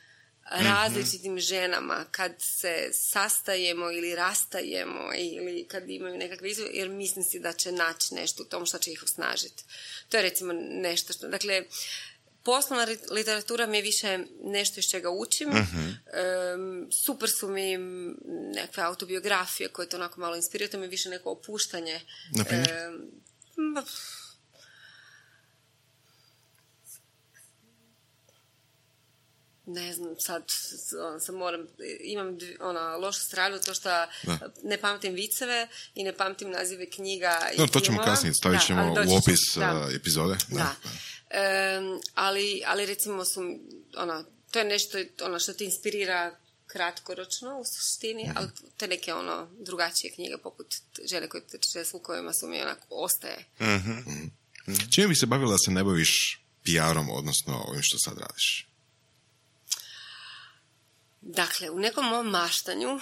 različitim ženama kad se sastajemo ili rastajemo ili kad imaju nekakve izvore, jer mislim si da će naći nešto u tom što će ih osnažiti. To je recimo nešto što... Dakle, poslovna literatura mi je više nešto iz čega učim. Mm-hmm. Um, super su mi nekakve autobiografije koje to onako malo inspiriraju, to mi je više neko opuštanje. Na primjer? Um, ne znam, sad on, sam moram, imam ona, lošu stranu, to što da. Ne pamtim viceve i ne pamtim nazive knjiga i no, to ćemo filmova. Kasnije, stavit ćemo da, u opis da. epizode. Da. Da. Um, ali, ali recimo su, ono, to je nešto ono, što te inspirira kratkoročno u suštini, mm-hmm. ali te neke ono, drugačije knjige poput Žene koje trče s vukovima su mi onako ostaje. Mm-hmm. Mm-hmm. Čime bi se bavila da se ne baviš P R-om, odnosno ovim što sad radiš? Dakle, u nekom mom maštanju,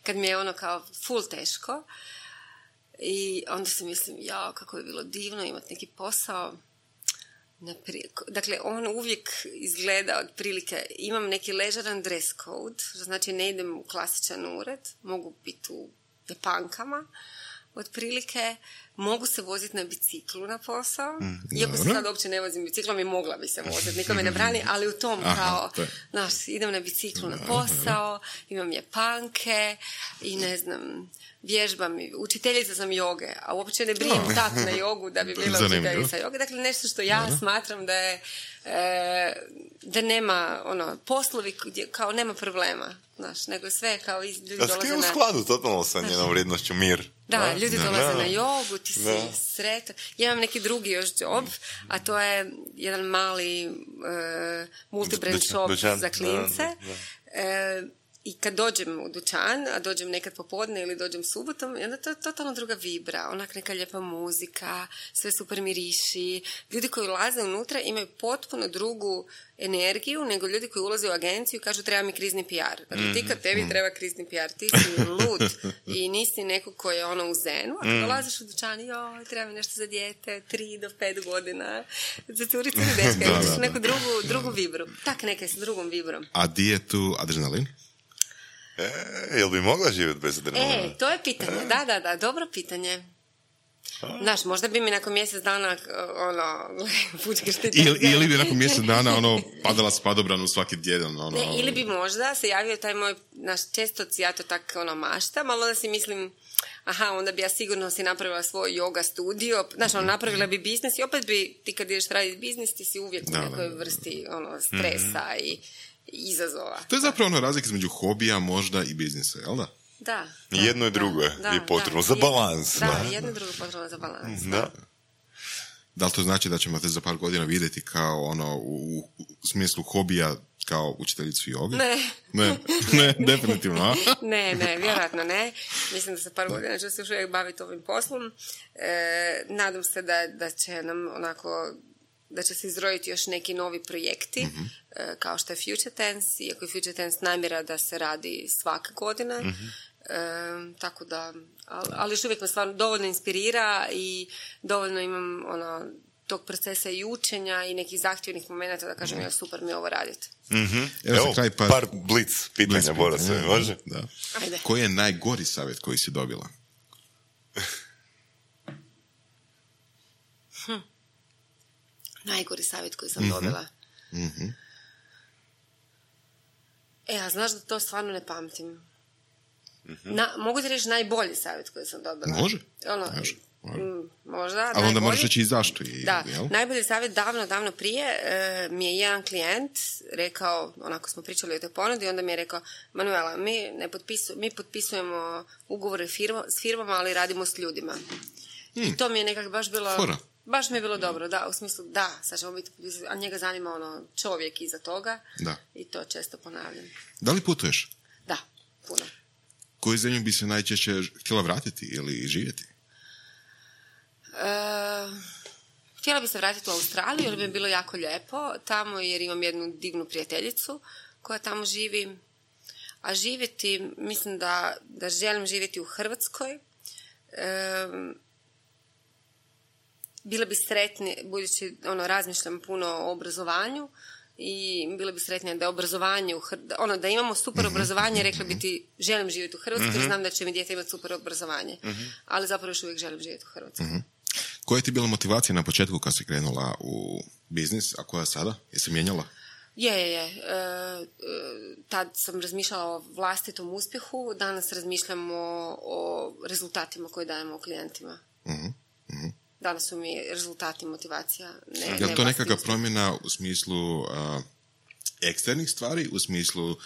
kad mi je ono kao ful teško, i onda se mislim, jao, kako bi bilo divno imati neki posao. Dakle, on uvijek izgleda otprilike, imam neki ležeran dress code, što znači ne idem u klasičan ured, mogu biti u japankama, otprilike, mogu se voziti na biciklu na posao, mm, iako se sad uopće ne vozim biciklom i mogla bi se voziti, niko me ne brani, ali u tom aha, kao, znaš, idem na biciklu na posao, imam japanke i ne znam, vježbam, učiteljica sam joge, a uopće ne brijem oh. tak na jogu da bi bila učiteljica joge, dakle nešto što ja Dobro. smatram da je e, da nema, ono, poslovi gdje kao nema problema, znaš, nego sve kao iz, ljudi dolaze na... A ti u skladu totalno sa njenom vrijednošću mir. Da, da, ljudi da, dolaze da. na jogu, ti si da. sretan. Ja imam neki drugi još job, a to je jedan mali uh, multibrand shop dućan. za klince. Da, da, da. Uh, I kad dođem u dućan, a dođem nekad popodne ili dođem subotom, onda to je totalno druga vibra, onak neka lijepa muzika, sve super miriši. Ljudi koji ulaze unutra imaju potpuno drugu energiju nego ljudi koji ulaze u agenciju i kažu treba mi krizni P R. Dakle, ti kad tebi treba krizni P R, ti si lud i nisi neko koji je ono u zenu, a kad dolaziš u dućan, joj, treba mi nešto za dijete, tri do pet godina, za curicu ili dečka, imaš neku drugu, drugu vibru. Tak neka s drugom vibrom. A di je tu adrenalin? E, jel bi mogla živjeti bez adrenalina? E, to je pitanje, da, da, da, dobro pitanje. Znaš, možda bi mi nakon mjesec dana ono, fučkaš ti ili, ili bi nakon mjesec dana ono, padala s padobranu svaki djedan. Ono, ne, ili bi možda se javio taj moj, naš, često ja to tak ono maštam, ali onda si mislim, aha, onda bi ja sigurno si napravila svoj yoga studio, znaš, ono, napravila bi biznis i opet bi, ti kad ideš raditi biznis, ti si uvijek u nekoj vrsti ono, stresa mm-hmm. i, i izazova. To je zapravo ono razlika između hobija možda i biznisa, jel da? Da. Da jedno i drugo da, je potrebno da, za balans. Da, da, jedno i drugo potrebno za balans. Da. Da. Da li to znači da ćemo te za par godina vidjeti kao ono u, u smislu hobija kao učiteljicu joge? Ne. Ne, ne, definitivno, a? ne, ne, vjerojatno ne. Mislim da za par godina ću se još uvijek baviti ovim poslom. E, nadam se da, da će nam onako, da će se izroditi još neki novi projekti, mm-hmm. e, kao što je Future Tense, iako je Future Tense namjera da se radi svake godine. Mm-hmm. E, tako da, ali, ali još uvijek me stvarno dovoljno inspirira i dovoljno imam ono, tog procesa i učenja i nekih zahtjevnih momenta da kažem, ja super mi ovo raditi. Mm-hmm. Evo, Evo kraj par, par blic pitanja, Bora se, može? Da. Koji je najgori savjet koji si dobila? hm. Najgori savjet koji sam mm-hmm. dobila? Mm-hmm. E, a znaš da to stvarno ne pamtim. Mm-hmm. Na, mogu ti reći najbolji savjet koji sam dobila? Može. Ono, može. M, možda. Ali onda možeš reći i zašto. I, da, jel? Najbolji savjet davno, davno prije e, mi je jedan klijent rekao, onako smo pričali o toj ponudi, onda mi je rekao, Manuela, mi, ne potpisu, mi potpisujemo ugovore firma, s firmama, ali radimo s ljudima. Hmm. I to mi je nekako baš bilo... Fora. Baš mi je bilo dobro, da, u smislu, da, sad ćemo biti, a njega zanima ono čovjek iza toga da. I to često ponavljam. Da li putuješ? Da, puno. Koju zemlju bi se najčešće htjela vratiti ili živjeti? Uh, htjela bi se vratiti u Australiju jer bi bilo jako lijepo tamo jer imam jednu divnu prijateljicu koja tamo živi, a živjeti, mislim da, da želim živjeti u Hrvatskoj. Um, bila bi sretnija, budući ono, razmišljam puno o obrazovanju i bila bi sretnija da je obrazovanje u Hr... ono, da imamo super obrazovanje, rekla bi ti želim živjeti u Hrvatskoj, mm-hmm. znam da će mi dijete imati super obrazovanje, mm-hmm. ali zapravo još uvijek želim živjeti u Hrvatskoj. Mm-hmm. Koja je ti bila motivacija na početku kad si krenula u biznis, a koja sada? Jesi mijenjala? Je, je, je. E, e, tad sam razmišljala o vlastitom uspjehu, danas razmišljam o, o rezultatima koje dajemo klijentima. Mm-hmm. Mm-hmm. Danas su mi rezultati motivacija. Ne, je li to nekakva promjena u smislu uh, eksternih stvari, u smislu uh,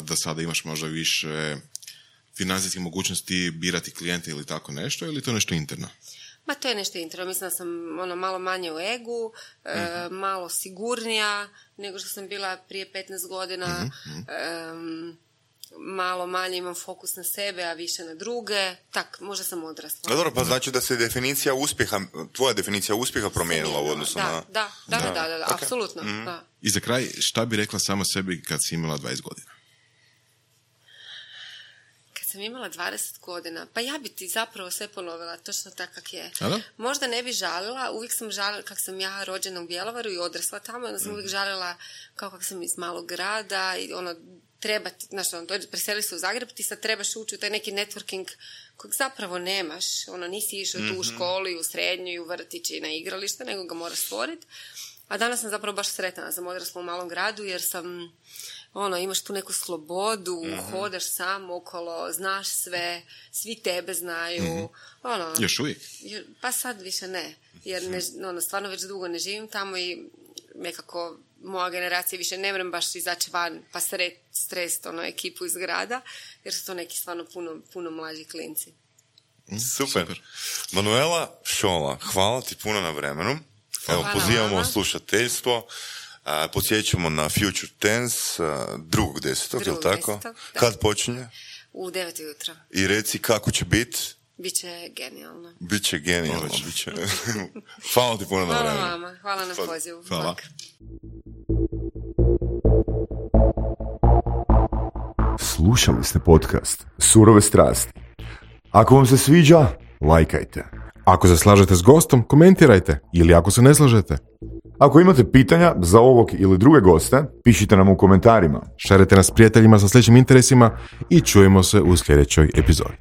da sada imaš možda više financijskih mogućnosti birati klijente ili tako nešto, ili to nešto interno? Ma to je nešto interno. Mislim da sam ono, malo manje u egu, mm-hmm. e, malo sigurnija nego što sam bila prije petnaest godina. Mm-hmm. E, malo manje imam fokus na sebe, a više na druge. Tak, možda sam odrasla. No dobro, pa znači da se definicija uspjeha, tvoja definicija uspjeha promijenila u odnosu da, na... Da, da, da, da, da, da okay. apsolutno. Mm-hmm. Da. I za kraj, šta bi rekla sama sebi kad si imala dvadeset godina? Kad sam imala dvadeset godina, pa ja bi ti zapravo sve ponovila, točno tako kak je. Ada? Možda ne bi žalila, uvijek sam žalila, kak sam ja rođena u Bjelovaru i odrasla tamo, onda sam mm. uvijek žalila kao kak sam iz malog grada i ono, treba ti, znaš, ono, preseli se u Zagreb, ti sad trebaš ući u taj neki networking kojeg zapravo nemaš, ono, nisi išao mm-hmm. tu u školu i u srednju i u vrtić i na igralište, nego ga moraš stvoriti. A danas sam zapravo baš sretna, sam odrasla u malom gradu jer sam, ono, imaš tu neku slobodu, mm-hmm. hodaš sam okolo, znaš sve, svi tebe znaju, mm-hmm. ono... Još uvijek? Pa sad više ne, jer ne, ono, stvarno već dugo ne živim tamo i nekako moja generacija više ne vrem baš izaći van pa sret, strest ono, ekipu iz grada, jer su to neki stvarno puno, puno mlađi klinci. Mm, super. super. Manuela Šola, hvala ti puno na vremenu. Evo, hvala pozivamo vama. Slušateljstvo. Uh, podsjećamo na Future Tense uh, drugog desetog, je li tako? Da. Kad počinje? U devet ujutro. I reci kako će biti? Biće genijalno. Biće genijalno. Biće. Hvala ti puno na vremenu. Hvala vama, hvala na pozivu. Hvala. Bak. Slušali ste podcast Surove strasti. Ako vam se sviđa, lajkajte. Ako se slažete s gostom, komentirajte. Ili ako se ne slažete. Ako imate pitanja za ovog ili druge goste, pišite nam u komentarima. Šerite nas prijateljima sa sličnim interesima i čujemo se u sljedećoj epizodi.